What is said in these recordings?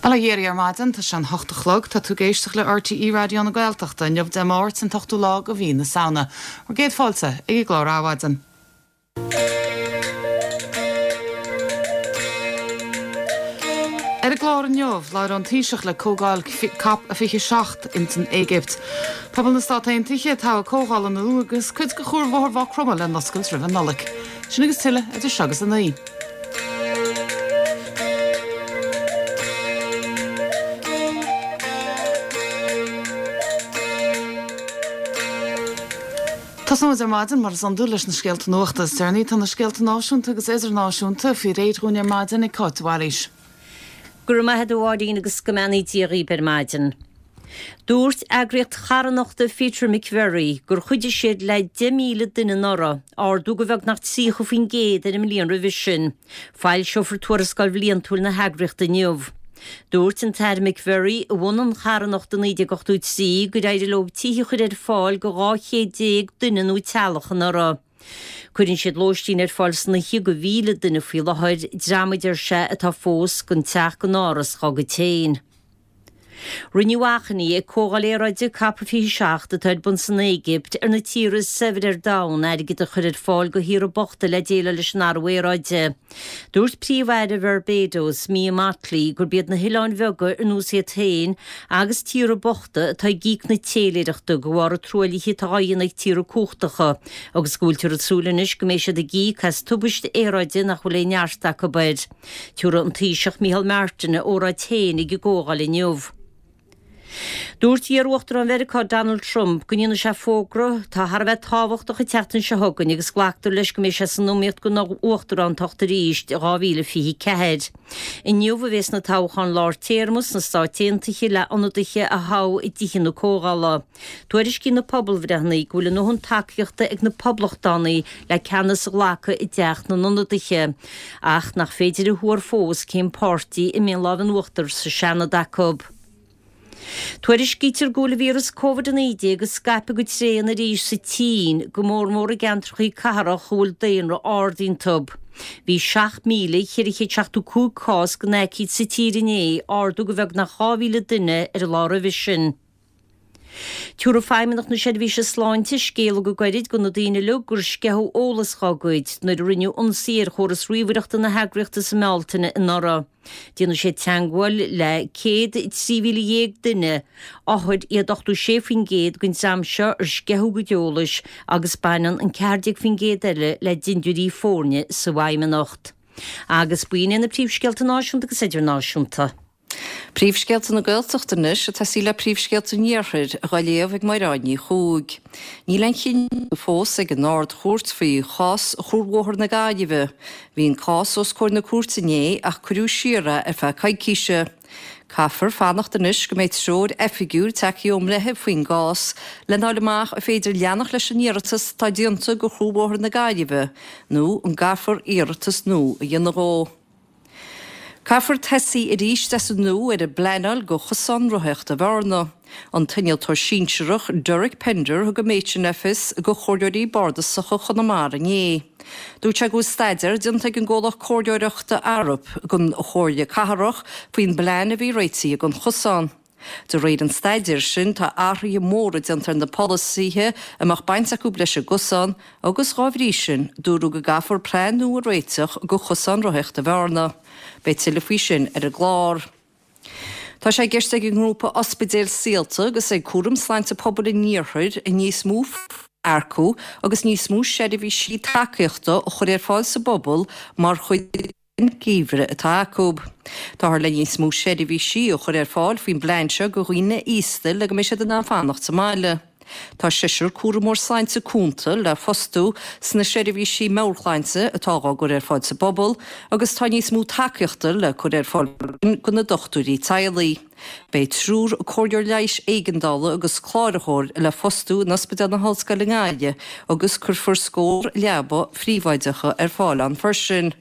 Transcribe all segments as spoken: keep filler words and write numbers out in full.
Bail ó Dhia oraibh ar maidin, tá sé an hocht a chlog, tá tú ag éisteacht le RTÉ Raidió na Gaeltachta, inniu Dé Máirt an t-ochtú lá de mhí na Samhna. Bhur gcéad fáilte ag an gclár Adhmhaidin. Ar an gclár inniu, labhróidh an Taoiseach le Comhdháil COP a fiche seacht ins an Éigipt. Pobal na Stát Aontaithe ag toghadh comhdhála nua agus cuid de chuarbhóthar Mhaigh Chromtha le n-oscailt roimh an Nollaig. Sin agus tuilleadh idir seo agus a naoi. Tosóimid ar maidin, mar is iondúil, leis na scéalta nuachta is deireanaí. Tá na scéalta náisiúnta agus idirnáisiúnta faoi réir dhúinn ar maidin ag Cáit de Bhailís. Go raibh maith agat a Mháirín agus go mbeannaí Dia dhaoib ar maidin. Dúirt eagraíocht charthanachta Peter McVerry gur chuidigh siad le deich míle duine anuraidh, ardú de bheagnach tríocha faoin gcéad ar an mbliain roimhe sin. Foilseofar tuarascáil bhliantúil na heagraíochta inniu. Dúirt an tAire McVerry, a bhunaigh an charthanacht i naoi déag ochtó a trí, gur éirigh leo tithe a chur ar fáil do dhá chéad déag duine nó teaghlach anuraidh. Cuireann siad lóistín ar fáil san oíche do mhíle duine faoi láthair, dream a deir sé atá fós gan teach gan áras dá gcuid féin. Rinneadh achainí ag Comhdháil Aeráide Cop fiche seacht atá ar bun san Éigipt ar na tíortha is saibhre ar domhan airgead a chur ar fáil do thíortha bochta le déileáil leis an athrú aeráide. Dúirt Príomh-Aire Bharbados, Mia Mottley, gurb iad na hoileáin bheaga ar nós iad féin agus tíortha bochta atá ag íoc na téiléireachta de bharr an truaillithe atá á dhéanamh ag tíortha cumhachtacha agus go bhfuiltear ag súil anois go mbeidh siad ag íoc as tubaiste aeráide nach bhfuil aon neart acu air. Tabharfaidh an Taoiseach Micheál Martin a óráid féin ag an gcomhdháil inniu. Dúirt iar-Uachtarán Mheiriceá Donald Trump go ndéanfaidh sé fógra atá thar a bheith tábhachtach an tseachtain seo chugainn agus glactar leis go mbeidh sé san iomaíocht don uachtarántacht arís i dhá mhíle fiche ceathair. Inniu a bheas na toghcháin lár téarma sna Stáit Aontaithe le ionadaithe a thoghadh i dtithe na Comhdhála. Tuairiscíonn na pobalbhreitheanna go bhfuil a ndóthain tacaíochta ag na Poblachtánaigh le ceannas a ghlacadh i dTeach na nIonadaithe, ach nach féidir a thuar fós cén páirtí a mbeidh an lámh in uachtar sa Seanad acu. Tuairiscítear go bhfuil an víreas Covid a naoi déag ag scaipeadh go tréan arís sa tSín, go mór mór i gceantracha cathrach a bhfuil daonra ard iontu. Bhí seacht míle ceithre chéad seachtó cúig cás den aicíd sa tír inné, ardú de bheagnach dhá mhíle duine ar an lá roimhe sin. Tabharfaidh Feidhmeannacht na Seirbhíse Sláinte scéala go gairid do na daoine uilig gur sceitheadh eolas dá gcuid nuair a rinneadh ionsaí ar chóras ríomhaireachta na heagraíochta sa mBealtaine anuraidh. Déanfaidh siad teagmháil le céad trí mhíle dhéag duine, othair iad ochtó sé faoin gcéad den dream seo ar sceitheadh a gcuid eolais agus baineann an ceathair déag faoin gcéad eile le dindiúirí foirne sa bhFeidhmeannacht. Agus b'in iad na príomhscéalta náisiúnta agus idirnáisiúnta. Príomhscéalta na Gaeltachta anois ag tosaí le príomhscéalta an Iarthair, dhá léamh ag Mairéad Ní Chuaig. Níl aon chinneadh fós ag an Ard-Chúirt faoi chás Chuarbhóthar na Gaillimhe. Bhí an cás os comhair na cúirte inné ach cuireadh siar é ar feadh coicíse. Caithfear fanacht anois go mbeidh treoir oifigiúil tagtha ón mbreitheamh faoin gcás lena fháil amach an féidir leanacht leis an iarratas atá déanta do Chuarbhóthar na Gaillimhe nó an gcaithfear iarratas nua a dhéanamh dhó. Caithfear tosaí arís as an nua ar an bpleanáil do chosán rothaíochta Bhearna. An t-innealtóir sinsearach Derek Pender a thug an méid sin le fios do chomhairleoirí bardasacha Chonamara inné. Dúirt sé go bhfuil staidéar déanta ag an gcomhlacht comhairleoireachta Arup don Chomhairle Cathrach faoin bplean a bhí réitithe don chosán. De réir an staidéir sin, tá athruithe móra déanta ar na polasaithe a mbeadh baint acu leis an gcosán agus, dhá bhrí sin, dúradh go gcaithfear plean nua a réiteach do chosán rothaíochta Bhearna. Beidh tuilleadh faoi sin ar an gclár. Tá sé i gceist ag an ngrúpa Ospidéil Saolta agus ag Cúram Sláinte Pobail an Iarthair níos mó earcú agus níos mó seirbhísí tacaíochta a chur ar fáil sa bpobal mar chuid den gheimhreadh atá acu. Táthar le níos mó seirbhísí a chur ar fáil faoin bplean seo do dhaoine aosta le go mbeidh siad in ann fanacht sa mbaile. Tá seisear cúramóir sláinte cúnta le fostú sna seirbhísí meabhairshláinte atá á gcur ar fáil sa bpobal agus tá níos mó tacaíochta le cur ar fáil do na dochtúirí teaghlaigh. Beidh triúr comhairleoir leighis éigeandála agus cláraitheoir le fostú in Ospidéal na hOllscoile i nGaillimh agus cuirfear scór leaba phríobháideacha ar fáil ann freisin.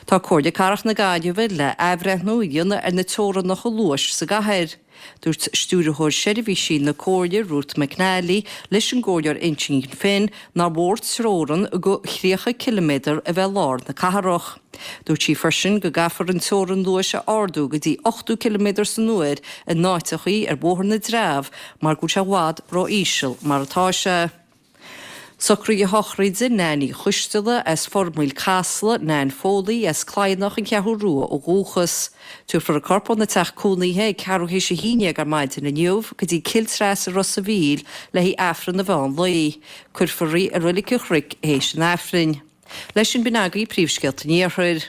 Tá Comhairle Cathrach na Gaillimhe le athbhreithniú a dhéanamh ar na teorainneacha luais sa gcathair. Dúirt Stiúrthóir Seirbhísí na Comhairle Ruth McNally leis an gComhairleoir Uinseann Finn nár mhór teorainn go tríocha ciliméadar a bheith lár na cathrach. Dúirt sí freisin go gcaithfear an teorainn luais a ardú go dtí ochtó ciliméadar san uair in áiteachaí ar Bhóthar na dTreabh mar go bhfuil sé i bhfad ró-íseal mar atá sé. Socruithe sochraide Nan Uí Choisteala as Formaoil Casla, Nan Foley as Cladhnach an Cheathrú Rua ó dhúchas. Tabharfar a corp óna teach cónaithe ag ceathrú théis a haon déag ar maidin inniu go dtí Cill Treasa Ros a' Mhíl le haghaidh Aifreann an mheán lae. Cuirfear í i Reilig an Chnoic théis an Aifrinn. Leis sin b'in agaibh príomhscéalta an Iarthair.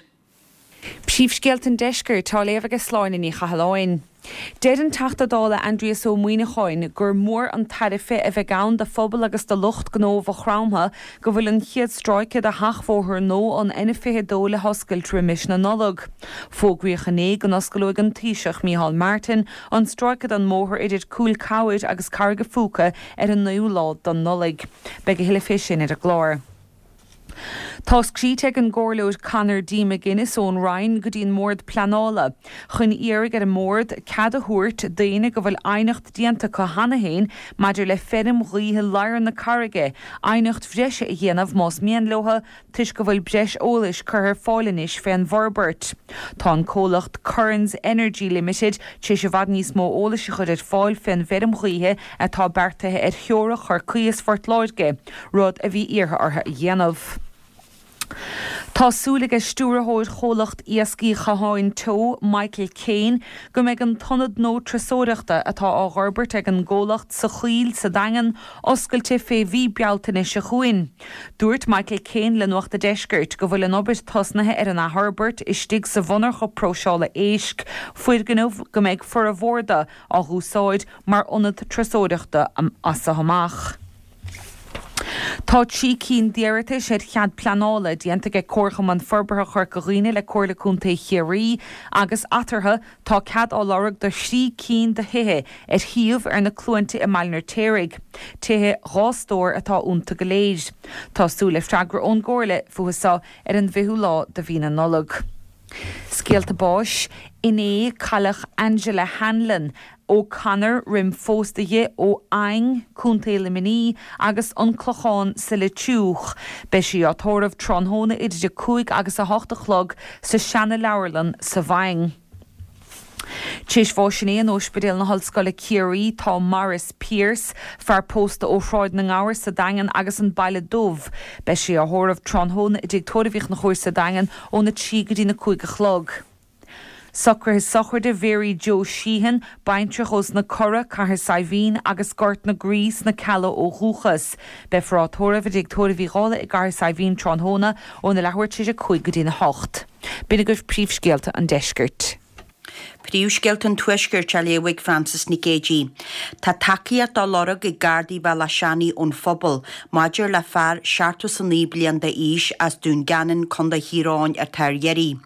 Príomhscéalta an Deiscirt á léamh ag Sláine Ní Chathalláin. Deir an Teachta Dála Aindrias Ó Muimhneacháin gur mór an tairbhe a bheidh ann do phobal agus do lucht gnó Mhaigh Chromtha go bhfuil an chéad stráice de sheachbhóthar nua an N fiche dó le hoscailt roimis na Nollag. Fógraíodh inné go n-osclóidh an Taoiseach Micheál Martin an stráice den mbóthar idir Cúil Cabhair agus Carraig an Phúca ar an naoú lá den Nollaig. Beidh a thuilleadh fé sin ar an gclár. Tá scríte ag an gComhairleoir Conor D. McGuinness ón Rinn go dtí an mBord Pleanála chun iarraidh ar an mbord cead a thabhairt daoine go bhfuil aighneacht déanta acu cheana féin maidir le feirm ghaoithe Ladhar na Carraige aighneacht bhreise a dhéanamh más mian leo toisc go bhfuil breis eolais curtha ar fáil anois fén bhforbairt. Tá an comhlacht Currans Energy Limited tar éis i bhfad níos mó eolais a chur ar fáil fén bhfeirm ghaoithe atá beartaithe ar theorainn Chorcaí is Phort Láirge, rud a bhí iarrtha orthu a dhéanamh. Tá súil ag stiúrthóir chomhlacht Iascaigh Chatháin Teo Michael Kane go mbeidh an t-ionad nua turasóireachta atá á fhorbairt ag an gcomhlacht sa Choill sa Daingean oscailte fé mhí Bealtaine seo chugainn. Dúirt Michael Kane le Nuacht an Deiscirt go bhfuil an obair tosnaithe ar an athfhorbairt istigh sa mhonarcha próiseála éisc, foirgneamh go mbeidh formhór de á úsáid mar ionad turasóireachta as seo amach. Tá trí cinn d'iarratais ar chead pleanála déanta ag Comharchumann Forbartha Chorca Dhuibhne le Comhairle Contae Chiarraí agus eatarthu tá cead á lorg do thrí cinn de thithe ar shuíomh ar na Cluainte i mBaile an Fheirtéaraigh. Tithe dhá stór atá iontu go léir. Tá súil le freagra ón gComhairle fúthu seo ar an bhfichiú lá de mhí na Nollag. Scéalta báis inné cailleadh Angela Hanlon O'Connor roim phósadh di ó Fhaing, Contae Luimnigh agus an Clochán sa Leitriúch. Beidh sí á tórramh tráthnóna idir a cúig agus a hocht a chlog sa seana-leabharlann sa bhFaing. Tar éis bháis inné in Ospidéal na hOllscoile Ciarraí tá Maurice Pierce, fear pósta ó Shráid na nGabhar sa Daingean agus an Baile Dubh. Beidh sé á thórramh tráthnóna i dTigh Tórraimh Uí Chonchúir sa Daingean óna trí go dtí na cúig a chlog. Socruithe sochraide Mhary Joe Sheehan, baintreach ós na Cora, Cathair Saidhbhín agus Gort na Graí sna Cealla ó dhúchas. Beifear á tórramh i dTigh Tórraimh Uí Dhálaigh i gCathair Saidhbhín tráthnóna óna leathuair tar éis a cúig go dtí na hocht. B'in agaibh príomhscéalta an deiscirt. Príomhscéalta an Tuaiscirt á léamh ag Frances Nic Géadaigh. Tá tacaíocht á lorg ag Gardaí Bhealach Seanaidh ón phobal maidir le fear seachtó is a naoi bliain d'aois as Dún Geanainn, Contae Thír Eoghain atá ar iarraidh.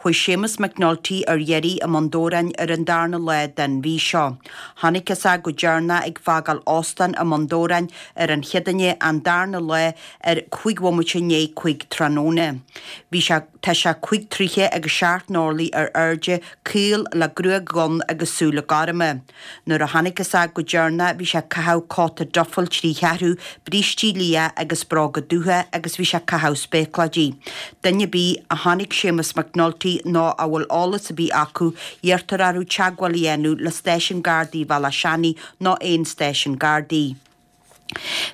Chuaigh Séamus McNulty ar iarraidh i mBun Dobhráin ar an darna lá den mhí seo. Chonacthas é go deireanach ag fágáil óstán i mBun Dobhráin ar an Chéadaoine an darna lá ar cúig bhomaite i ndiaidh cúig tráthnóna. Bhí sé Tá sé cúig troighe agus seacht n-orlaí ar airde, caol le gruaig dhonn agus súile gorma. Nuair a chonacthas é go deireanach bhí sé ag caitheamh cóta dufail trí cheathrú, brístí liath agus bróga dubha agus bhí sé ag caitheamh spéacláidí. Duine ar bith a chonaic Séamus McNulty nó a bhfuil eolas ar bith acu, iarrtar orthu teagmháil a dhéanamh le Stáisiún Gardaí Bhealach Seanaidh nó aon stáisiún Gardaí.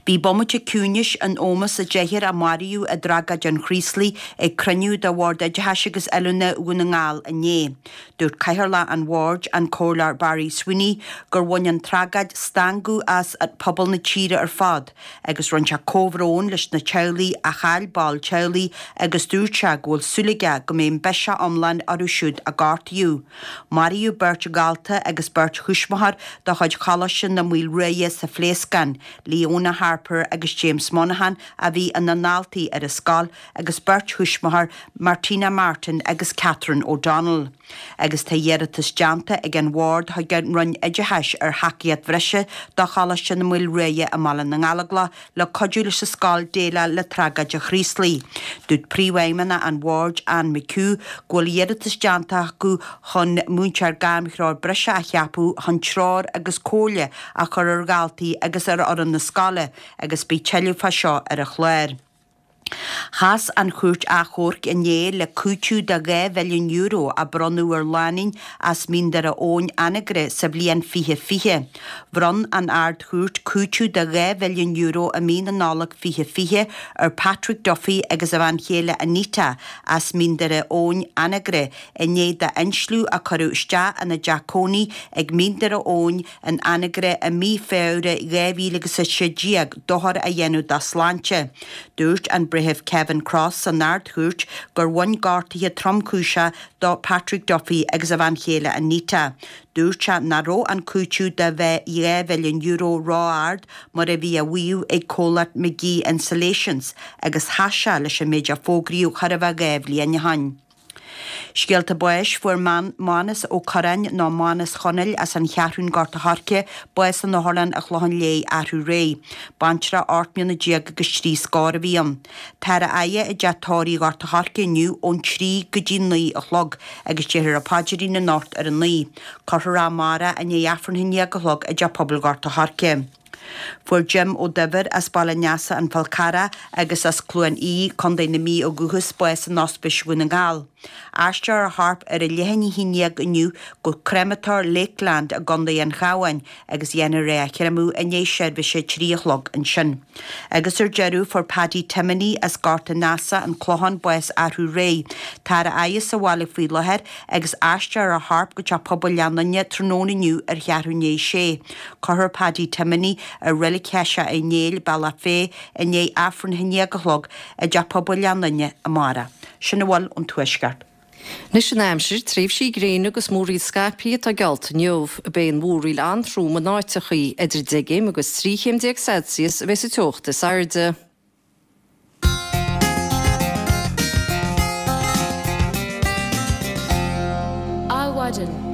Bhí bomaite ciúnais in ómós an deichniúr a maraíodh i dtragóid an Chraoslaigh ag cruinniú de Bhord Oideachais agus Oiliúna Dhún na nGall inné. Dúirt Cathaoirleach an Bhoird, an Comhairleoir Barry Sweeney, gur bhain an tragóid stangadh as pobal na tíre ar fad agus rinne sé comhbhrón leis na teaghlaigh a chaill ball teaghlaigh agus dúirt sé go bhfuil súil aige go mbeidh an biseach iomlán orthu siúd a gortaíodh. Maraíodh beirt dhalta agus beirt thuismitheoir de chuid Choláiste na Maoilruaidhe sa phléascán. Leona Harper agus James Monaghan a bhí ina ndaltaí ar an scoil agus beirt thuismitheoir Martina Martin agus Catherine O'Donnell. Agus tá iarratas déanta ag an bhord chuig an Roinn Oideachais ar thacaíocht bhreise do Choláiste na Maoilréidhe i mBaile na nGallóglach le cuidiú leis an scoil déileáil le tragóid an Chraoslaigh. Dúirt príomhfheidhmeannach an bhoird Anne McHugh go bhfuil iarratas déanta acu chun múinteoir gairmthreoir breise a cheapadh chun treoir agus comhairle a chur ar dhaltaí agus ar fhoireann na scoile agus beidh tuilleadh fá seo ar an chlár. Chas an Chúirt Achomhairc inné le cúiteamh de dhá mhilliún euro a bronnadh ar lánúin as Mín Doire Eoghain, Anagaire sa bhliain fiche fiche. Bhronn an Ard-Chúirt cúiteamh de dhá mhilliún euro i mí na Nollag fiche fiche ar Patrick Duffy agus a bhean chéile Anita as Mín Doire Eoghain, Anagaire, i ndiaidh d'insliú a cuireadh isteach ina dteach cónaí ag Mín Doire Eoghain in Anagaire i mí Feabhra dhá mhíle agus a sé déag dochar a dhéanamh dá sláinte. Dúirt an Breitheamh Kevin Cross san Ard-Chúirt gur bhain gortuithe tromchúiseacha do Patrick Duffy agus a bhean chéile Anita. Dúirt sé nach raibh an cúiteamh de dhá mhilliún euro ró-ard mar a bhí á mhaíomh ag comhlacht McGee Insulations agus chas sé leis an méid a fógraíodh chóir a bheith dhá bhliain ó shin. Scéalta báis, Fuair Mánas Ó Curráin nó Mánas Chonaill as an Cheathrún Gort a' Choirce bás in Otharlann an Chlocháin Léith arú aréir. Baintreach ocht mbliana déag agus trí scór a bhí ann. Táthar á fhaire i dteach tórraimh Ghort a' Choirce inniu ón trí go dtí naoi a chlog agus déarfar an paidrín anocht ar a naoi. Cuirfear é amárach i ndiaidh Aifreann a haon déag a chlog i dTeach Pobail Ghort a' Choirce. Fuair Jim Ó Duibhir as Baile an Easa, An Fál Carrach agus as Cluain Aodha, Contae na Mí ó dhúchas, bás in Ospís Dhún na nGall. Aistreofar a chorp ar a leath i ndiaidh a haon déag inniu go Créamatóir Lakeland i gContae an Chabháin agus dhéanfar é a chreimeadh i ndiaidh seirbhíse a trí a chlog ansin. Agus ar deireadh, fuair Paddy Timoney as Gort an Easa, An Clochán, bás arú aréir. Táthar á fhaire sa bhaile faoi láthair agus aistreofar a chorp go Teach Pobail Leath Fhionnaile tráthnóna inniu ar cheathrú i ndiaidh a sé. Cuirfear Paddy Timoney i Reilig Sheiseach Uí Néill, Bealach Féich, i ndiaidh Aifreann a haon déag a chlog i dTeach Pobail Leath Fhionnaile amárach. Sin a bhfuil ón Tuaisceart. Anois an aimsir, tréimhsí gréine agus múraíl scaipthe atá geallta inniu. Beidh an mhúraíl an-trom in áiteachaí, idir deich gcéim agus trí chéim déag Celsius a bheas an teocht is airde. Adhmhaidin.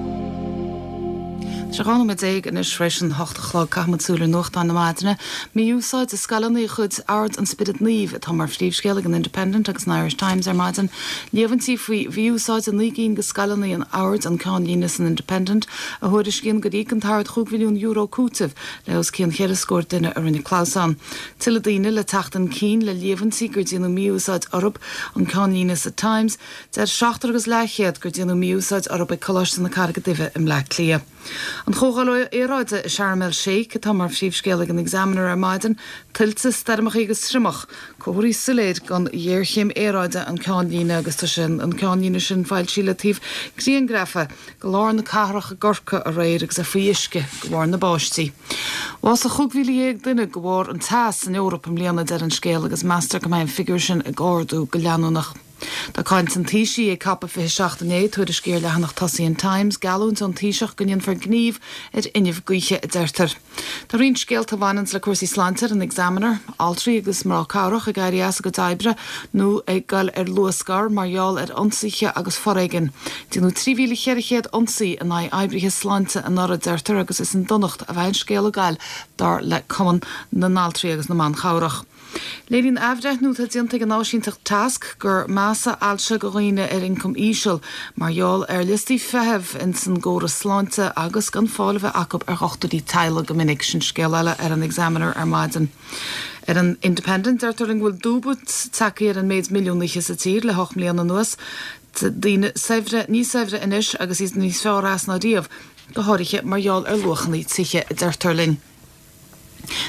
Tá sé dhá nóiméad déag anois tar éis an hocht a chlog. Caithfimid súil ar nuachtáin na maidine. Mí-úsáid i scoileanna de chuid Ord an Spioraid Naoimh atá mar phríomhscéal ag an Independent agus an Irish Times ar maidin. Líomhaintí faoi mhí-úsáid i naoi gcinn de scoileanna an Oird an ceannlíne san Independent a thuairiscíonn gur íoc an tOrd chúig mhilliún euro cúitimh le os cionn cheithre scór duine a rinne clamhsán. Tuilleadh daoine le teacht chun cinn le líomhaintí gur déanadh mí-úsáid orthu an ceannlíne sa Times. Deir seachtar agus leathchéad gur déanadh mí-úsáid orthu ag Coláiste na Carraige Duibhe i mBleá Cliath. An Chomhdháil Aeráide i Sharm el Sheikh atá mar phríomhscéal ag an Examiner ar maidin, tuilte, stoirmeacha agus triomach, comharthaí soiléir den ghéarchéim aeráide an ceannlíne agus tá sin an ceannlíne sin foilsithe le taobh grianghrafa de lár na cathrach i gCorcaigh aréir agus é faoi uisce de bharr na báistí. Bhásaigh chúig mhíle dhéag duine de bharr an teas san Eoraip i mbliana, deir an scéal, agus meastar go mbeidh an figiúr sin ag ardú go leanúnach. Tá caint an Taoisigh ag Cop fiche seacht inné, tuairiscí ar leathanach tosaigh an Times, geallúint ón Taoiseach go ndéanfar gníomh ar fhuinneamh gaoithe, a deirtear. Tá roinnt scéalta a bhaineanns le cúrsaí sláinte ar an Examiner, altraí agus mná cabhrach ag éirí as a gcuid oibre nó ag goil ar luathscor mar gheall ar ionsaithe agus foréigean. Déanadh trí mhíle cheithre chéad ionsaí in aghaidh oibrithe sláinte anuraidh, deirtear, agus is i ndonacht a bheidh an scéal ag goil, dar le Cumann na nAltraí agus na mBan Cabhrach. Léiríonn athbhreithniú atá déanta ag an áisínteacht Tasc gur measa ailse do dhaoine ar ioncam íseal mar gheall ar liostaí feithimh ins an gcóras sláinte agus gan fáil a bheith acu ar dhochtúirí teaghlaigh go minic. Sin scéal eile ar an Examiner ar maidin. Ar an Independent deirtear linn go bhfuil dúbailt tagtha ar an méid milliúnaithe sa tír le hocht mbliana anuas. Daoine saibhre níos saibhre anois agus iad níos fearr as ná riamh, go háirithe mar gheall ar luachanna tithe, a deirtear linn.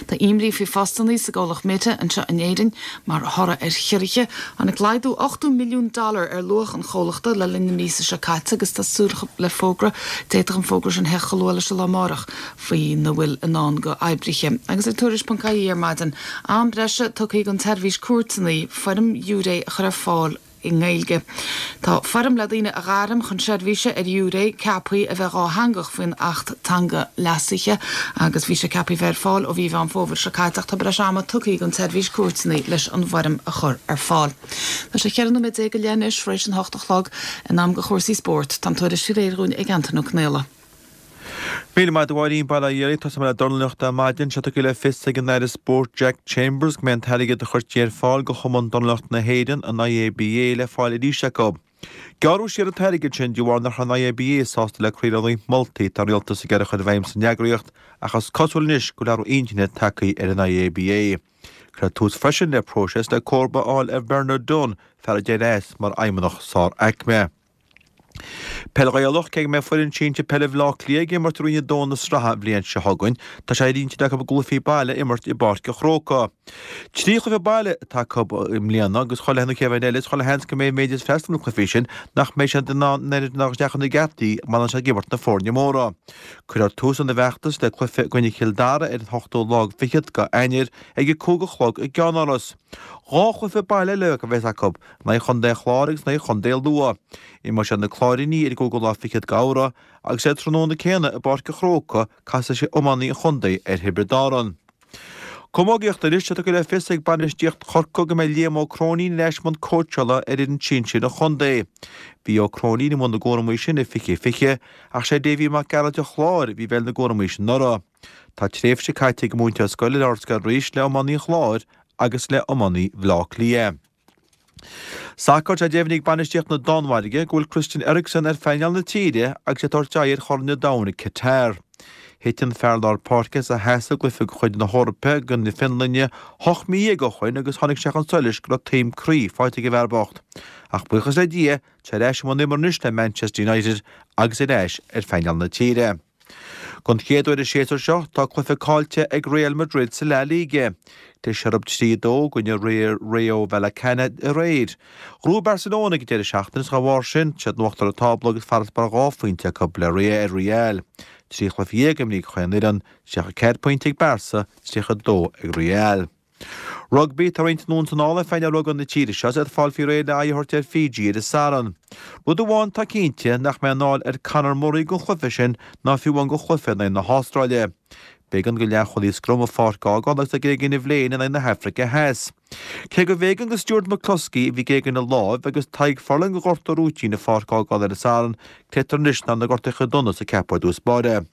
Tá imní faoi phostanna sa gcomhlacht Meta anseo in Éirinn mar thoradh ar chiorruithe. Tháinig laghdú ochtó milliún dollar ar luach an chomhlachta le linn na míosa seo caite agus tá súil le fógra, d'fhéadfadh an fógra sin theacht chomh luath leis an lá amárach, faoina bhfuil i ndán do oibrithe. Agus ar Tuairisc ponc ie ar maidin, am breise tugtha don tSeirbhís Cúirteanna foirm ghiúiré a chur ar fáil. i nGaeilge. Tá foirm le daoine a ghairm chun seirbhíse ar ghiúiré ceaptha a bheith dhátheangach faoin Acht Teanga leasaithe agus bhí sé ceaptha bheith ar fáil ó mhí Mheán Fómhair seo caite ach tá breis ama tugtha don tSeirbhís Cúirteanna leis an bhfoirm a chur ar fáil. Tá sé ceithre nóiméad déag go leith anois tar éis an hocht a chlog in am do chúrsaí spóirt. Tá an tuairisc réidh dúinn ag Antain Ó Conaola. Míle maith agat a Mháirín, bail ó Dhia ort. Tosóidh mé le dornálaíocht ar maidin. Tá sé tugtha le fios ag an Aire Spóirt Jack Chambers go mbeidh an t-airgead a chuirtí ar fáil do Chumann Dornálaíochta na hÉireann, an IABA, le fáil arís acu. Gearradh siar an t-airgead sin de bharr nach raibh an IABA sásta le croíle roinnt moltaí atá an rialtas ag iarraidh a chur i bhfeidhm san eagraíocht ach is cosúil anois go bhfuil athrú intinne tagtha ar an IABA. Cuireadh tús freisin le próiseas le comharba a fháil ar Bernard Dunne, fear a d'éirigh as mar fheidhmeannach sár-aicme. Peil Ghaelach, cé go mbeidh foireann sinsir peile Bhaile Átha Cliath ag imirt i Roinn a Dó na sraithe an bhliain seo chugainn, tá sé ar intinn acu a gcluichí baile a imirt i bPáirc an Chrócaigh. Trí chluiche baile atá acu i mbliana agus chuile nó cé bheith eile, is chuile sheans go mbeidh an méid is freastal na cluichí sin nach mbeidh siad in ann an oiread isteach ina geataí mar a bhíonn siad ag imirt na foirne móra. Cuirfear tús lena bhfeachtas le cluiche i gcoinne Chill Dara ar an ochtú lá fichead de Eanáir ag a cúig a chlog i gCeannáras. Dhá chluiche baile eile a bheas acu, in aghaidh Chontae an Chláir agus in aghaidh Chontae Lú. Imreoidh siad na Cláirínigh ar an gcúigiú lá fichead de Fheabhra agus ar an tráthnóna céanna i bPáirc an Chrócaigh casfaidh siad iománaí an chontae ar Thiobraid Árann. Camógaíocht Anois, tá tugtha le fios ag bainistíocht Chorcaí go mbeidh Liam Ó Cróinín ar ais i mbun cóitseála ar fhoireann sinsir an chontae. Bhí Ó Cróinín i mbun na gcúramaí sin i fiche fiche ach sé Davy Mac Gearailt an Chláir a bhí i bhfeighil na gcúramaí sin anuraidh. Tá tréimhse caite ag an múinteoir scoile ar Ardscoil Rís le iománaí an Chláir agus le iománaí Bhaile Átha Cliath. Sacar, Tá deimhnithe ag bainistíocht na Danmhairge go bhfuil Christian Eriksen ar phainéal na tíre agus é ag tabhairt aghaidh ar Chorn an Domhain i Qatar. Thit an fear lár páirce as a sheasamh i gcluiche de chuid na hEorpa i gcoinne na Fionlainne ocht mí dhéag ó shoin agus tháinig sé chun solais go raibh taom croí faighte ag an bhfear bocht. Ach buíochas le Dia, tá sé ar ais i mbun imeartha anois le Manchester United agus ar ais ar phainéal na tíre. Don chéad uair an séasúr seo, tá cluiche caillte ag Real Madrid sa La Liga. Chlis orthu trí a dó i gcoinne Rayo Vallecano aréir. Ghnóthaigh Barcelona ag an deireadh seachtaine is dá bharr sin, tá siad in uachtar an tábla agus farasbarr dhá phointe acu le ar Real. Trí chluiche dhéag imrithe ag chaon fhoireann, tríocha ceathair pointe ag Barca, tríocha dó ag Real. Rugbaí, Tá roinnt anonn is anall ar phainéal rugbaí na tíre seo is iad ag fáil faoi réir le aghaidh a thabhairt ar Fiji ar an Satharn. Rud amháin atá cinnte, nach mbeidh anáil ar Conor Murray don chluiche sin ná fiú amháin don chluiche in aghaidh na hAstráile. B'éigean do leathchúlaí scrum an pháirc a fhágáil agus é ag éagan ina bhléin in aghaidh na hAfraice Theas. Cé gurbh éigean do Stuart McCloskey, a bhí ag éagan a láimh, agus Tadhg Furlong a ghortú rúitín an pháirc a fhágáil ar an Satharn, creidtear anois nach na gortuithe dona is a ceapadh ar dtús báire.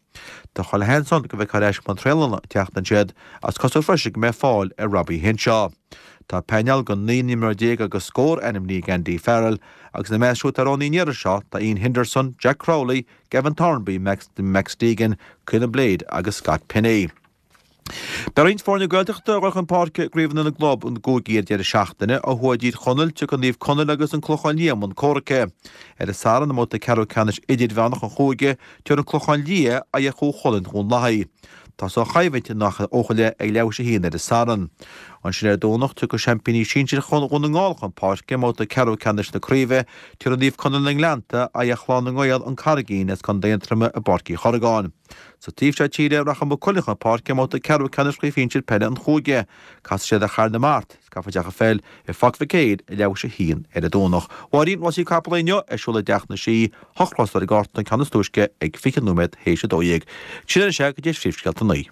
Tá chuile sheans ann go bhfeicfear ar ais i mbun traenála an tseachtain seo iad ach is cosúil freisin go mbeidh fáil ar Robbie Henshaw. Tá painéal de naoi n-imreoir déag agus scór ainmnithe ag Andy Farrell agus ina measc siúd atá roghnaithe an iarraidh seo tá Iain Henderson, Jack Crowley, Gavin Thornbury, Max, Max Deegan, Caolin Blade agus Scott Penny. Beidh roinnt foirne Gaeltachta ag dul chun páirce i gcraobhanna na gclub i gcúigí ar deireadh seachtaine. Ó thuaidh i dTír Chonaill, tiocfaidh Naomh Conaill agus an Clochán Liath i mbun comhraic. Ar an Satharn i mbabhta ceathrú ceannais idirmheánach an chúige, tabharfaidh an Clochán Liath aghaidh ar Chú Chulainn Dhún Lathaí. Tosóidh an choimhlint in Achadh Eochaille ag leathuair théis a haon ar an Satharn. Ansin ar an Domhnach, tiocfaidh seaimpíní sinsir Dhún na nGall chun páirce i mbabhta ceathrú ceannais na craoibhe, tabharfaidh Naomh Conaill na nGleannta aghaidh ar Chlann na nGael, An Carraigín as Contae Aontroma i bPáirc Uí Chorragáin. Sa taobh seo tíre, rachaidh Maigh Cuilinn chun páirce i mbabhta ceathrú ceannais Chraobh Shinsir Peile an Chúige. Casfaidh siad ar Charn na Mart, is caithfear teach an pheil i Pháirc Mhic Éil ag leathuair théis a haon ar an Domhnach. Máirín, Rásaí capall inniu ar siúl i dTeach na Sí, hocht rás ar an gcárta, an ceann is túisce ag fiche nóiméad théis a dó dhéag. Sin anois é go dtí phríomhscéalta a naoi.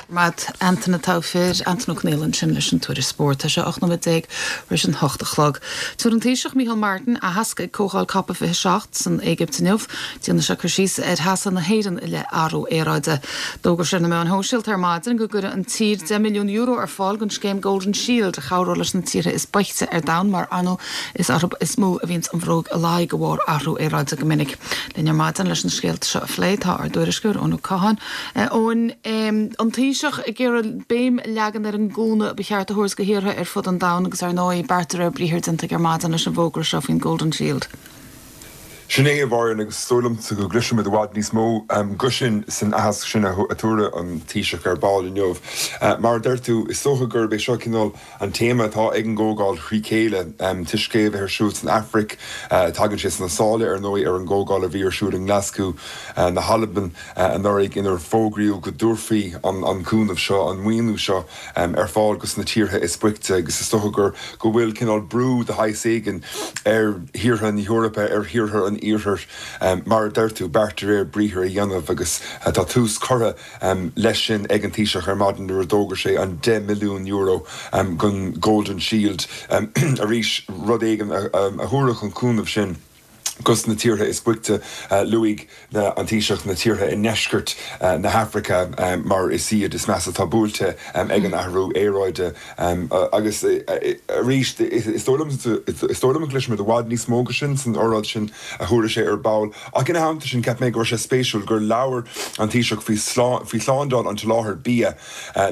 Matt Antain atá fir Antain Ó Conaola ansin leis an tuairisc spóirt. Tá sé ocht nóiméad déag tar éis an hocht a chlog. Tabharfaidh an Taoiseach Micheál Martin aitheasc ag Comhdháil Cop fiche seacht san Éigipt inniu. Déanfaidh sé cur síos ar sheasamh na hÉireann i leith athrú aeráide. D'fhógair sé ar na meáin shóisialta ar maidin go gcuirfidh an tír deich milliún euro ar fáil don scéim Golden Shield a chabhróidh leis na tíortha is boichte ar domhan mar ar ndóigh is orthu is mó a bhíonns an bhróg i ladhar de bharr athrú aeráide go minic. Linn ar maidin leis na scéalta seo a phlé tá ár dtuairisceoir Eoin Ó Catháin. Eoin, an Taoiseach ag iarraidh béim a leagan ar an gcúnamh ba cheart a thabhairt do thíortha ar fud an domhain agus ar ndóigh beart de réir briathair déanta aige ar maidin leis an bhfógra seo faoin Golden Shield. Sin é a Mháirín agus is dóigh liomsa go gcloisfimid i bhfad níos mó de sin san aitheasc sin a thabharfaidh an Taoiseach ar ball inniu. Mar a deir tú, is dócha gurb é seo cineál an téama atá ag an gcomhdháil thrí chéile toisc é a bheith ar siúl san Afraic. Tagann sé sna sála, ar ndóigh, ar an gcomhdháil a bhí ar siúl i nGlaschú na hAlban anuraidh inar fógraíodh go dtabharfaí an cúnamh seo, an maoiniú seo ar fáil dos na tíortha is boichte agus is dócha gur go bhfuil cineál brú de shaghas éigin ar thíortha na hEorpa, ar thíortha an Iarthair, mar a deir tú, beart de réir briathair a dhéanamh agus tá tús curtha leis sin ag an Taoiseach ar maidin nuair a d'fhógair sé an deich milliún euro don Golden Shield. Arís, rud éigin a thabharfadh an cúnamh sin dos na tíortha is boichte. Luaigh an Taoiseach na tíortha i ndeisceart na hAfraice mar is iad is measa atá buailte ag an athrú aeráide. Agus arís, is dóigh liom is dóigh liom go gcloisfimid i bhfad níos mó de sin san óráid sin a thabharfaidh sé ar ball. Ach ina theannta sin, cheap mé go raibh sé spéisiúil gur labhair an Taoiseach faoi faoi shlándáil an tsoláthair bia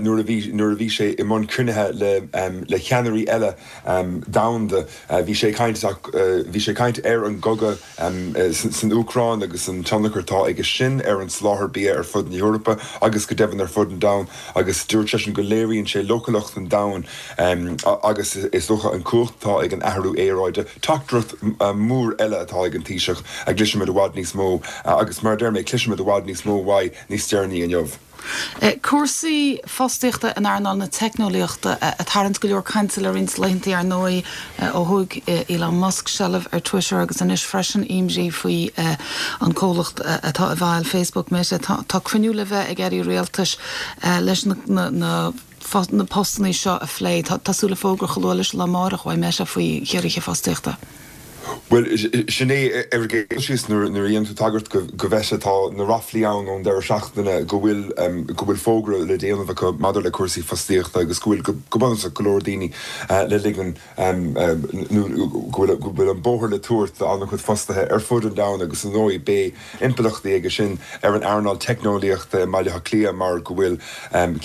nuair a bhí nuair a bhí sé i mbun cruinnithe le le ceannairí eile domhanda. Bhí sé ag caint bhí sé ag caint ar an gcogadh san Úcráin agus an tionchar atá aige sin ar an soláthar bia ar fud na hEorpa agus go deimhin ar fud an domhain agus dúirt seisean go léiríonn sé leochaileacht an domhain agus is dócha an cumhacht atá ag an athrú aeráide. Teachtaireacht mhór eile atá ag an Taoiseach a gcloisfimid i bhfad níos mó agus mar a deir mé, cloisfimid i bhfad níos mó uaidh níos deireanaí inniu. Cúrsaí fostaíochta in earnáil na teicneolaíochta ag tarraingt go leor cainte le roinnt laethanta, ar ndóigh, ó thóg Elon Musk seilbh ar Twitter agus anois freisin imní faoi an comhlacht atá i bhfeighil Facebook, Meta. Tá cruinniú le bheith ag airí rialtais leis na na postanna seo a phlé. Tá súil le fógra chomh luath leis an lá amárach uaidh Meta faoi chiorruithe fostaíochta. Bhuel, sin é ar an gcéad dul síos, nuair a dhéanann tú tagairt go Meta, tá na ráflaí ann ón deireadh seachtaine go bhfuil go bhfuil fógra le déanamh acu maidir le cúrsaí fostaíochta agus go bhfuil go bunúsach go leor daoine le ligean nó go bhfuil go bhfuil an bóthar le tabhairt d'an-chuid fostaithe ar fud an domhain agus ar ndóigh beidh impleachtaí aige sin ar an earnáil teicneolaíochta i mBaile Átha Cliath mar go bhfuil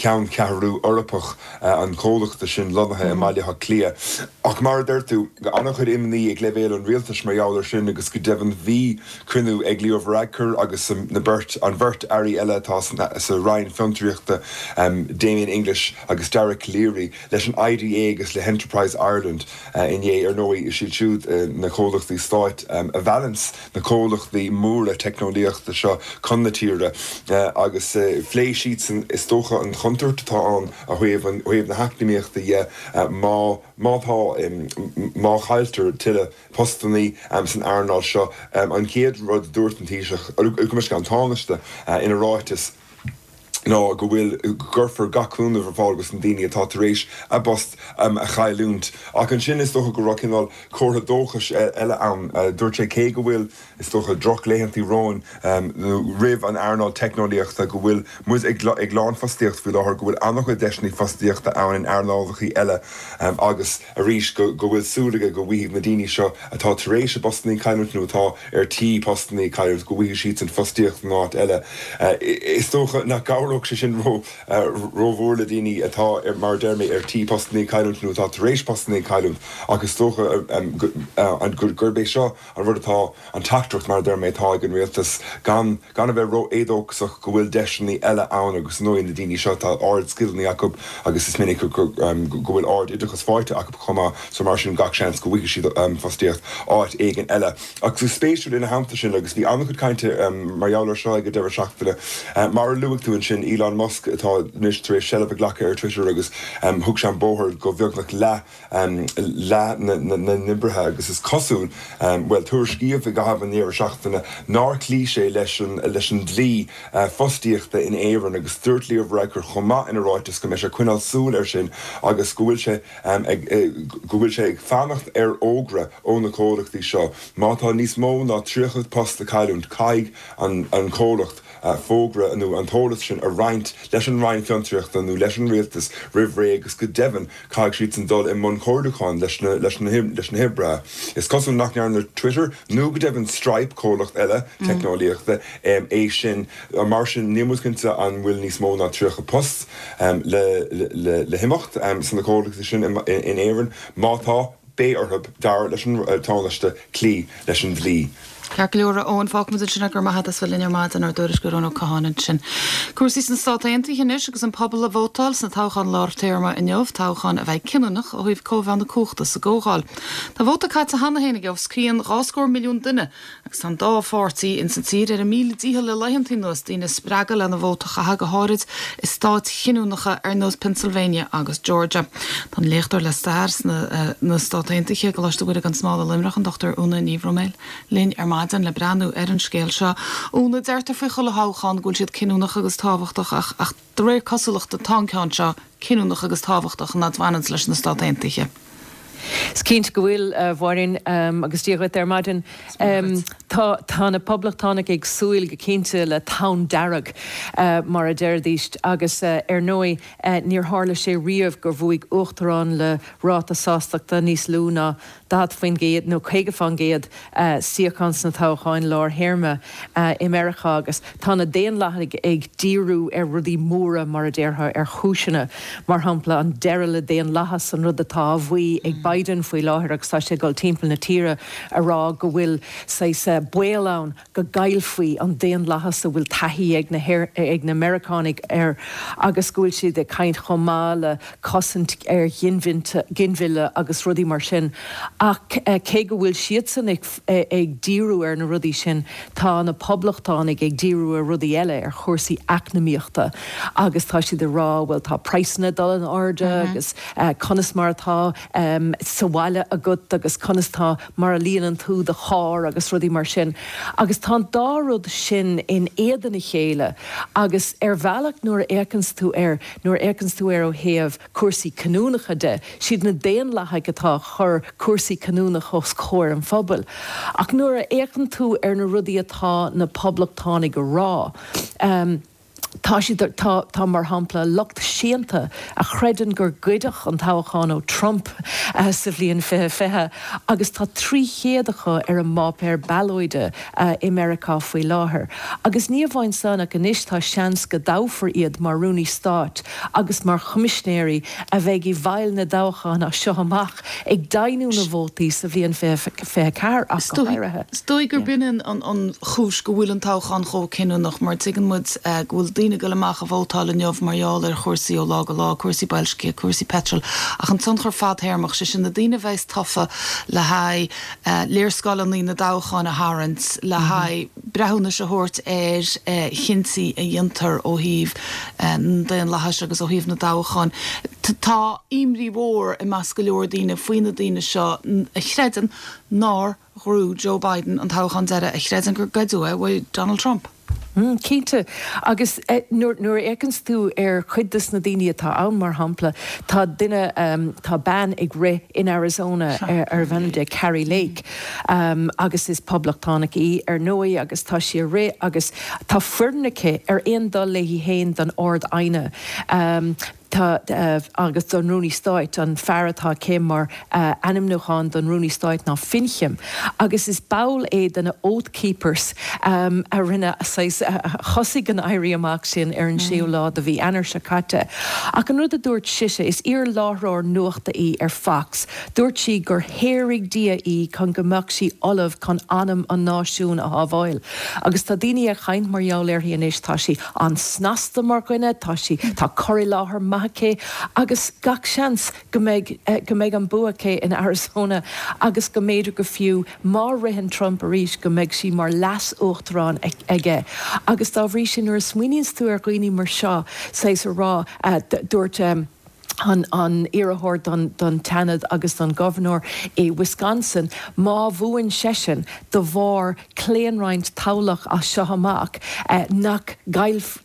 ceanncheathrú Eorpach an chomhlachta sin lonnaithe i mBaile Átha Cliath. Ach mar a deir tú, an-chuid imní ag leibhéal an rialtais mar gheall air sin agus go deimhin bhí cruinniú ag Leo Varadkar agus na beirt, an bheirt airí eile atá sa Roinn Fiontraíochta, Damien English agus Dara Calleary, leis an IDA agus le hEnterprise Ireland inné. Ar ndóigh, is iad siúd na comhlachtaí stáit a mheallanns na comhlachtaí móra teicneolaíochta seo chun na tíre agus phléigh siadsan is dócha an chontúirt atá ann ó thaobh na heacnamaíochta dhe má má tá má chailltear tuilleadh postannaí san earnáil seo. An chéad rud a dúirt an Taoiseach, gabh mo leithscéal, an Tánaiste ina ráiteas, ná go bhfuil, go gcuirfear gach cúnamh ar fáil dos na daoine atá tar éis a bpost a chailliúint. Ach ansin is dócha go raibh cineál comhartha dóchais eile ann. Dúirt sé cé go bhfuil, is dócha, drochlaethanta romhainn nó roimh an earnáil teicneolaíochta, go bhfuil muid ag ag lánfhostaíocht faoi láthair, go bhfuil an-chuid deiseanna fostaíochta ann in earnálacha eile agus arís go go bhfuil súil aige go bhfaighidh na daoine seo atá tar éis a bpostanna a chailliúint nó atá ar tí postanna a chailliúint, go bhfaighidh siadsan fostaíocht in áit eile. Is dócha nach gcabhródh sé sin rómhór le daoine atá, mar a deir mé, ar tí postanna a chailliúint nó atá tar éis postanna a chailliúint ach is dócha gurb é seo an rud atá, an teachtaireacht, mar a deir mé, atá ag an rialtas, gan gan a bheith ró-éadóchasach, go bhfuil deiseanna eile ann agus ar ndóigh na daoine seo, tá ard-scileanna acu agus is minic go bhfuil ard-oideachas faighte acu chomh maith so mar sin gach seans go bhfaighidh siad fostaíocht áit éigin eile. Ach is spéisiúil ina theannta sin, agus bhí an-chuid cainte mar gheall air seo ag an deireadh seachtaine, mar a luaigh tú ansin, Elon Musk atá anois tar éis seilbh a ghlacadh ar Twitter agus thug sé an bóthar go bheagnach leath leath na n-oibrithe agus is cosúil, bhuel, tuairiscíodh i gcaitheamh an deireadh seachtaine nár chloígh sé leis an leis an dlí fostaíochta in Éirinn agus dúirt Leo Varadkar chomh maith ina ráiteas go mbeidh sé ag coinneáil súil air sin agus go bhfuil sé ag go bhfuil sé ag fanacht ar fhógra ó na comhlachtaí seo má tá níos mó ná tríocha post le cailliúint caithfidh an an comhlacht fógra nó an t-eolas sin a roinnt leis an Roinn Fiontraíochta nó leis an Rialtas roimh ré agus go deimhin caithfidh siadsan dul i mbun comhairliúcháin leis na leis na leis na hoibrithe. Is cosúil nach ndearna Twitter nó go deimhin Stripe, comhlacht eile teicneolaíochta, é sin. Mar sin níl muid cinnte an bhfuil níos mó ná tríocha post le le le himeacht sna comhlachtaí sin in Éirinn. Má tá, beidh orthu, dar leis an Tánaiste, cloí leis an dlí. Ceart go leor, a Eoin, fágfaimid ansin é, go raibh maith agat as bheith linn ar maidin, ár dtuairisceoir Eoin Ó Catháin ansin. Cúrsaí sna Stáit Aontaithe anois agus an pobal ag vótáil sna toghcháin lár téarma inniu, toghchán a bheidh cinniúnach ó thaobh cóimheá na cumhachta sa gComhdháil. Tá vóta caite cheana féin ag os cionn dhá scór milliún duine agus tá an dá pháirtí ins an tír ar a míle dícheall le laethanta anuas daoine a spreagadh lena vóta a chaitheamh, go háirid i stáit chinniúnacha ar nós Pennsylvania agus Georgia. Tá an léachtóir le stair sna na Stát Aontaithe i gColáiste Mhuire gan Smál i Luimneach, an Dochtúir Úna Ní Bhroiméil, linn ar maidin le breathnú ar an scéal seo. Úna, deirtear faoi chuile thoghchán go bhfuil siad cinniúnach agus tábhachtach ach ach de réir cosúlachta tá an ceann seo cinniúnach agus tábhachtach an fhad bhaineanns leis na Stát Aontaithe. Is cinnte go bhfuil, a Mháirín, agus Dia dhuit ar maidin. Tá tá na Poblachtánaigh ag súil go cinnte le tonn dearg, mar a deiridís, agus ar ndóigh níor tharla sé riamh gur bhuaigh uachtarán le ráta sástachta níos lú ná daichead faoin gcéad nó caoga faoin gcéad suíochán sna toghcháin lár-théarma i Meiriceá agus tá na Daonlathaigh ag díriú ar rudaí móra, mar a déarfá, ar chúiseanna, mar shampla an deireadh le daonlathas, an rud atá á mhaí ag Biden faoi láthair agus tá sé ag dul timpeall na tíre a rá go bhfuil saghas baol ann go gcaillfí an daonlathas a bhfuil taithí ag na ag na Meiriceánaigh air agus go bhfuil siad ag caint chomh maith le cosaint ar ghinmhilleadh agus rudaí mar sin. Ach cé go bhfuil siadsan ag díriú ar na rudaí sin, tá na Poblachtánaigh ag díriú ar rudaí eile, ar chúrsaí eacnamaíochta agus tá siad ag rá, bhuel tá praghsanna ag dul in airde agus conas mar atá sa bhaile agat agus conas tá mar a líonann tú do charr agus rudaí mar sin. Agus tá an dá rud sin in éadan a chéile agus ar bhealach nuair a fhéachanns tú air, nuair a fhéachanns tú air ó thaobh cúrsaí canúnacha de, siad na Daonlathaigh atá ag cur cúrsaí canúnacha os comhair an phobail. Ach nuair a fhéachann tú ar na rudaí atá na Poblachtánaigh a rá, tá siad, tá, tá mar shampla lucht séanta a chreideann gur goideadh an toghchán ó Trump sa bhliain fiche fiche agus tá trí chéad acu ar an bpáipéar ballóide i Meiriceá faoi láthair. Agus ní amháin san ach anois tá seans go dtoghfar iad mar Rúnaí Stáit agus mar Choimisinéirí a bheidh i bhfeighil na dtoghchán as seo amach ag deimhniú na vótaí sa bhliain fiche fiche ceathair ach go háirithe. Is dóigh gurb in an chúis go bhfuil an toghchán chomh cinniúnach mar tuigeann muid go bhfuil daoine ag dul amach a vótáil inniu mar gheall ar chúrsaí ó lá go lá, cúrsaí boilscithe, cúrsaí peitril, ach an tionchar fadtéarmach, sé sin na daoine a bheas tofa le haghaidh léarscáileanna na dtoghchán a tharraingt, le haghaidh breithiúnais a thabhairt ar chinntí a dhéantar ó thaobh an daonlathais agus ó thaobh na dtoghchán. Tá imní mhór i measc go leor daoine faoi na daoine seo a chreideann nár ghnóthaigh Joe Biden an toghchán deiridh, a chreideann gur goideadh é uaidh Donald Trump. Cinnte. Agus nuair a fhéachanns tú ar chuid de na daoine atá ann, mar shampla, tá duine, tá bean ag rith in Arizona arbh ainm di Kari Lake agus is poblachtánach í, ar ndóigh, agus tá sí ag rith agus tá foireann aici ar aon dul léi féin don Ard-Aighne. Tá, agus don Rúnaí Stáit, an fear atá aici mar ainmniúchán don Rúnaí Stáit ná Finchem, agus is ball é de na Oath Keepers a rinne, saghas, a thosaigh an éirí amach sin ar an séú lá de mhí Eanáir seo caite. Ach an rud a dúirt sise, is iar-láithreoir nuachta í ar Fox, dúirt sí gur shaoraigh Dia í chun go mbeadh sí ullamh chun anam an náisiúin a shábháil. Agus tá daoine ag caint mar gheall uirthi anois, tá sí an-snasta mar dhuine, tá sí, tá cur i láthair maith aici agus gach seans go mbeidh, go mbeidh an bua aici in Arizona agus go mb'fhéidir go fiú má ritheann Trump arís go mbeidh sí mar leas-uachtarán aige. Agus dá bhrí sin nuair a smaoiníonns tú ar dhaoine mar seo, saghas a rá, dúirt an an iarrthóir don don tSeanad agus don ghobharnóir i Wisconsin, má bhuann seisean de bharr claonroinnt toghlach as seo amach, nach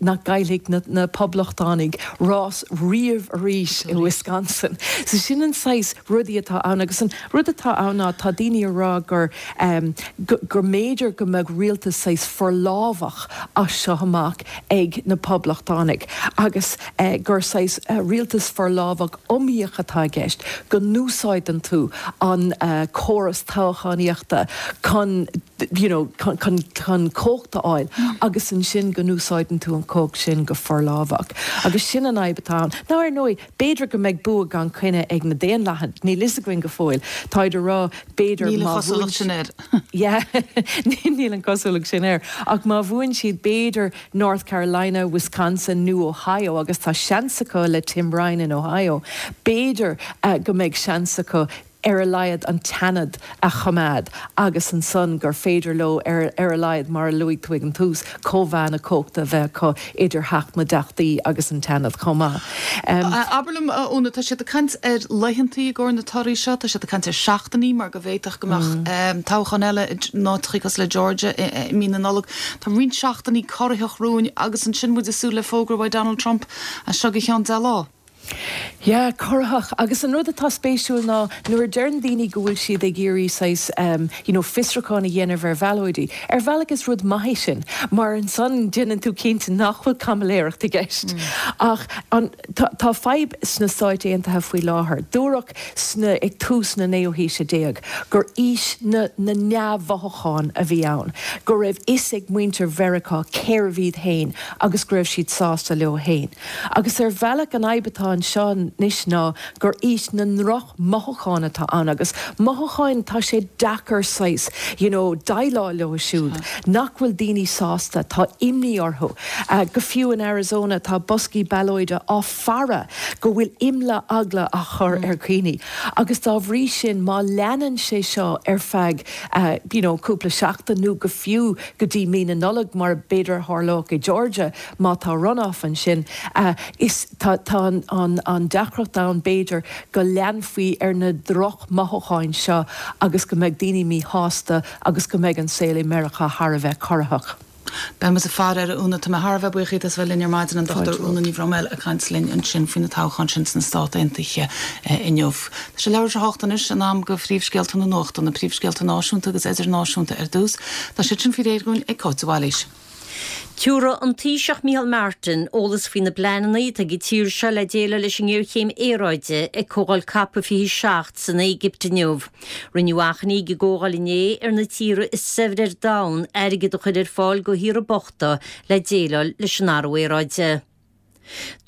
nach gcaillfidh na na Poblachtánaigh rás riamh arís i Wisconsin. So sin an saghas rudaí atá ann agus an rud atá ann ná tá daoine ag rá gur gur mb'fhéidir go mbeadh rialtas saghas forlámhach as seo amach ag na Poblachtánaigh agus gur saghas rialtas forlámhach iomaíoch atá i gceist, go n-úsáideann tú an córas toghchánaíochta chun you know, chun, chun, chun cumhacht a fháil agus ansin go n-úsáideann tú an cumhacht sin go forlámhach. Agus sin an fhadhb atá ann. Now ar ndóigh, b'fhéidir go mbeidh bua gan choinne ag na Daonlathaithe, níl fhios againn go fóill. Táid ag rá b'fhéidir Níl an má chosúlacht bhuann sin air. Yeah, níl an chosúlacht sin air. Ach má bhuann siad b'fhéidir North Carolina, Wisconsin nó Ohio agus tá seans acu le Tim Ryan in Ohio, b'fhéidir uh, go mbeidh seans acu ar a laghad an tSeanad a choimeád agus ansan gur féidir leo ar, ar a laghad mar a luaigh tú ag an tús cóimheá na cumhachta a bheith acu idir Theach na dTeachtaí agus an tSeanad chomh maith. Um, Abair liom Úna, tá siad ag caint ar laethantaí i gcomhair na torthaí seo, tá siad ag caint ar seachtainí mar go bhféadfadh go mbeadh mm. toghchán eile in áiteacha cosúil le Georgia i, i mí na Nollag. Tá roinnt seachtainí corraitheach romhainn agus ansin muid ag súil le fógra ó Donald Trump as seo go ceann deich lá. Yeah, corraitheach agus an rud atá spéisiúil ná nuair a deireann daoine go bhfuil siad ag iarraidh saghas um, you know, fiosrúchán a dhéanamh ar bhallóidí. Ar bhealach is rud maith sin, mar ansan déanann tú cinnte nach bhfuil caimiléireacht i gceist. Mm. Ach an, tá, tá fadhb sna Stáit Aontaithe faoi láthair. Dúradh sna ag tús na naoú haoise déag gur aois na, na neamh-mhothúchán a bhí ann, go raibh fhios ag muintir Mheiriceá cérbh iad féin agus go raibh siad sásta leo féin. Agus ar bhealach an fhadhb atá anseo anois ná gur aois na ndrochmhothúchán atá ann agus mothúcháin tá sé deacair saghas you know, déileáil leo siúd nach bhfuil daoine sásta tá imní orthu. Uh, go fiú in Arizona tá boscaí ballóide á faire go bhfuil imla eagla á chur mm. ar dhaoine. Agus dá bhrí sin má leanann sé seo ar feadh uh, you know, cúpla seachtain nó go fiú go dtí mí na Nollag mar b'fhéidir tharlódh i Georgia má tá runoff ansin uh, is tá, tá an, an, an deacracht ann b'fhéidir go leanfaí ar na drochmhothúcháin seo agus go mbeidh daoine míshásta agus go mbeidh an saol i Meiriceá thar a bheith corraitheach. Beidh muid ag faire air Úna tá mé thar a bheith buíoch as bheith linn ar maidin an Dr Úna Ní Bhroiméil ag caint linn ansin faoi na toghcháin sin sna Stáit Aontaithe inniu. Tá sé leathuair tar éis a hocht anois in am do phríomhscéalta na nuachta na príomhscéalta náisiúnta agus idirnáisiúnta ar dtús, Tá siad sin faoi réir againn ag Cáit Bhailís. Tabharfaidh an Taoiseach Micheál Martin eolas faoi na pleananna atá ag an tír seo le déileáil leis an ngéarchéim aeráide ag comhdháil COP fiche seacht san Éigipt inniu. Rinneadh achainí ag an gcomhdháil inné ar na tíortha is saibhre ar domhan airgead a chur ar fáil do thíortha bochta le déileáil leis an athrú aeráide.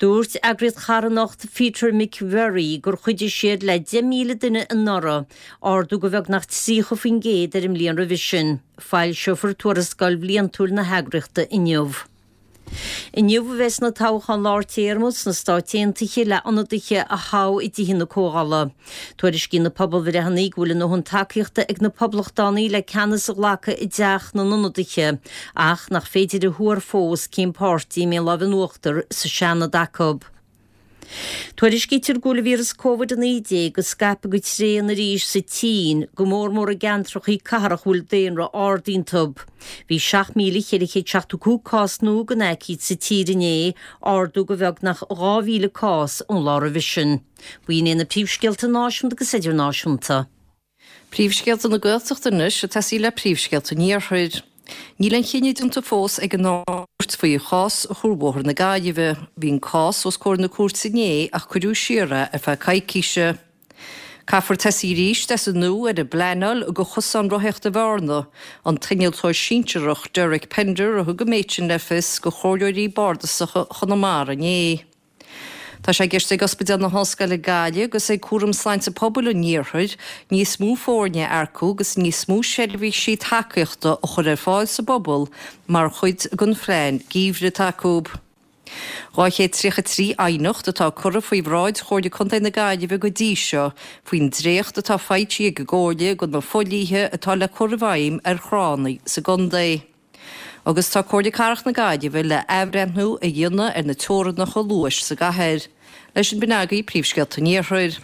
Dúirt eagraíocht charthanachta Peter McVerry gur chuidigh siad le deich míle duine anuraidh, ardú go beagnach tríocha faoin gcéad ar an mbliain roimhe sin. Foilseofar tuarascáil bhliantúil na heagraíochta inniu. Inniu a bheas na toghcháin lár téarma sna Stáit Aontaithe le ionadaithe a thoghadh i dtithe na Comhdhála. Tuairiscíonn na pobalbhreitheanna go bhfuil a ndóthain tacaíochta ag na poblachtánaigh le ceannas a ghlacadh i dteach na n-ionadaithe, ach nach féidir a thuar fós cén páirtí a mbeidh lámh in uachtar sa Seanad acu. Tuairiscítear go bhfuil an víreas Covid a naoi déag ag scaipeadh go tréan arís sa tSín, go mór mór i gceantracha cathrach a bhfuil daonra ard iontu. Bhí seacht míle ceithre chéad seachtó cúig cás nua den aicíd sa tír inné, ardú go beagnach dhá mhíle cás ón lá roimhe sin. B'in iad na príomhscéalta náisiúnta agus idirnáisiúnta. Príomhscéalta na Gaeltachta anois ag tosaí le príomhscéalta an Iarthair. Níl aon chinneadh déanta fós ag an Ard-Chúirt faoi chás Chuarbhóthar na Gaillimhe. Bhí an cás os comhair na cúirte inné ach cuireadh siar é ar feadh coicíse. Caithfear tosaí arís as an nua ar an bpleanáil do chosán rothaíochta Bhearna, an t-innealtóir sinsearach Derek Pender a thug an méid sin le fios do chomhairleoirí bardasacha Chonamara inné. Tá sé i gceist ag Ospidéal na hOllscoile Gaillimh agus ag Cúram Sláinte Pobail an Iarthair níos mó foirne a earcú agus níos mó seirbhísí tacaíochta a chur ar fáil sa bpobal mar chuid den phlean geimhridh atá acu. dhá chéad tríocha trí aighneacht atá curtha faoi bhráid Chomhairle Contae na Gaillimhe go dtí seo faoin dréacht atá faighte ag an gComhairle do na fodhlíthe atá le cur i bhfeidhm ar thránna sa gcontae. Agus tá Comhairle Cathrach na Gaillimhe le athbhreithniú a dhéanamh ar na teorainneacha luais sa gcathair. Leis sin b'in agaibh príomhscéalta an Iarthair.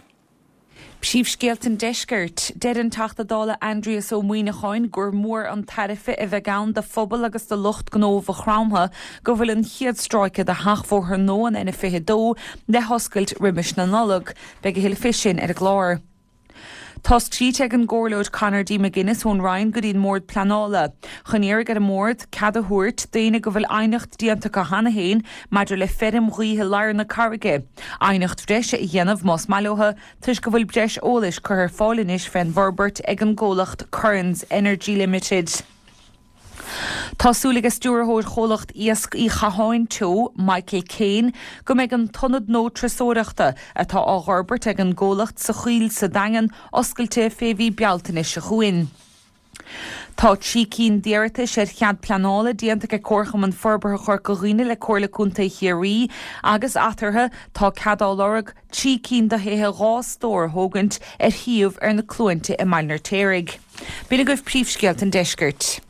Príomhscéalta an Deiscirt. Deir an Teachta Dála Aindrias Ó Muimhneacháin gur mór an tairbhe a bheidh ann do phobal agus do lucht gnó Mhaigh Chromtha go bhfuil an chéad stráice de sheachbhóthar nua an N fiche dó le hoscailt roimis na Nollag. Beidh a thuilleadh faoi sin ar an gclár. Tá scríte ag an gComhairleoir Conor D. McGuinness ón Rinn go dtí an mBord Pleanála. Chun iarraidh ar an mbord cead a thabhairt daoine go bhfuil aighneacht déanta acu cheana féin maidir le feirm ghaoithe lár na carraige. Aighneacht bhreise a dhéanamh más maith leo toisc go bhfuil breis eolais curtha ar fáil anois fén bhforbairt ag an gcomhlacht Currans Energy Limited. Tá súil ag stiúrthóir chomhlacht Iasc Uí Chatháin Teo, Michael Kane, go mbeidh an t-ionad nua turasóireachta atá á fhorbairt ag an gcomhlacht sa Choill sa Daingean oscailte fé mhí Bealtaine seo chugainn. Tá trí cinn d'iarratais ar chead pleanála déanta ag Comharchumann Forbartha Chorca Dhuibhne le Comhairle Contae Chiarraí agus eatarthu tá cead á lorg trí cinn de thithe dhá stór a thógaint ar shuíomh ar na Cluainte i mBaile an Fheirtéaraigh. B'in agaibh príomhscéalta an deiscirt.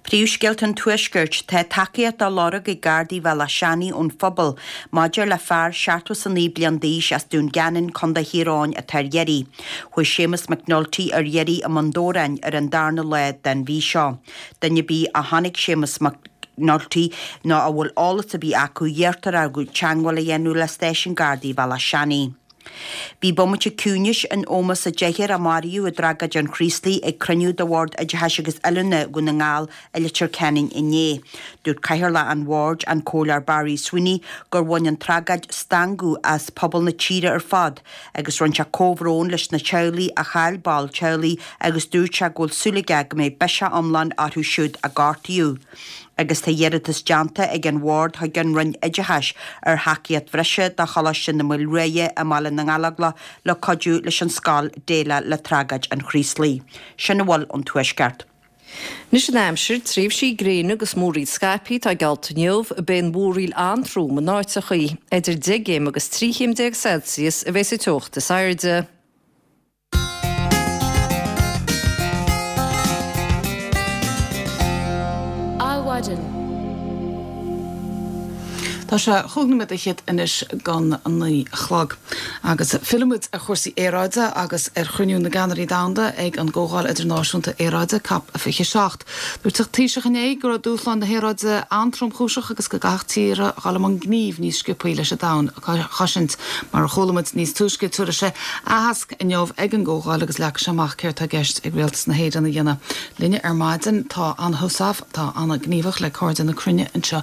Príomhscéalta an Tuaiscirt, Tá tacaíocht á lorg ag Gardaí Bhéal Átha Seanaidh ón phobal maidir le fear seachtó is a naoi bliain d'aois as Dún Geanainn, Contae Thír Eoghain atá ar iarraidh. Chuaigh Séamus McNulty ar iarraidh i mBun Dobhráin ar an darna lá den mhí seo. Duine ar bith a chonaic Séamus McNulty nó a bhfuil eolas ar bith acu iarrtar orthu teagmháil a dhéanamh le Stáisiún Gardaí Bhéal Átha Seanaidh. Bhí bomaite ciúnais in ómós an deichniúr a maraíodh i dtragóid an Chraoslaigh ag cruinniú de Bhord Oideachais agus Oiliúna Dhún na nGall i Leitir Ceanainn inné. Dúirt Cathaoirleach an Bhoird, an Comhairleoir Barry Sweeney, gur bhain an tragóid stangadh as pobal na tíre ar fad agus rinne sé comhbhrón leis na teaghlaigh a chaill ball teaghlaigh agus dúirt sé go bhfuil súil aige go mbeidh biseach iomlán orthu siúd a gortaíodh. Agus tá iarratas déanta ag an Bhord chuig an Roinn Oideachais ar thacaíocht bhreise do Choláiste na Maoile Ruaidhe i mBaile na nGallóglach le cuidiú leis an scoil déileáil le tragóid an Chraoslaigh. Sin a bhfuil ón Tuaisceart. Anois an aimsir, tréimhsí gréine agus múraíl scaipthe atá geallta inniu, beidh an mhúraíl an-trom in áiteachaí. Idir deich gcéim agus trí chéim déag Celsius a bheas an teocht is airde. Adhmhaidin. Tá sé chúig nóiméad fhichead anois don naoi a chlog. Agus fillfidh muid ar chúrsaí aeráide agus ar chruinniú na gceannairí domhanda ag an gComhdháil Idirnáisiúnta Aeráide, Cop a fiche seacht. Dúirt an Taoiseach inné go raibh dúshláin na haeráide an-tromchúiseach agus go gcaithfeadh tíortha dhul i mbun gnímh níos sciobthaí leis an domhan a chosaint. Mar a chuala muid níos túisce, tabharfaidh sé aitheasc inniu ag an gcomhdháil agus leagfaidh sé amach céard tá i gceist ag Rialtas na hÉireann a dhéanamh. Linne ar maidin tá Anna Heussaff, atá an-ghníomhach le Cairde na Cruinne anseo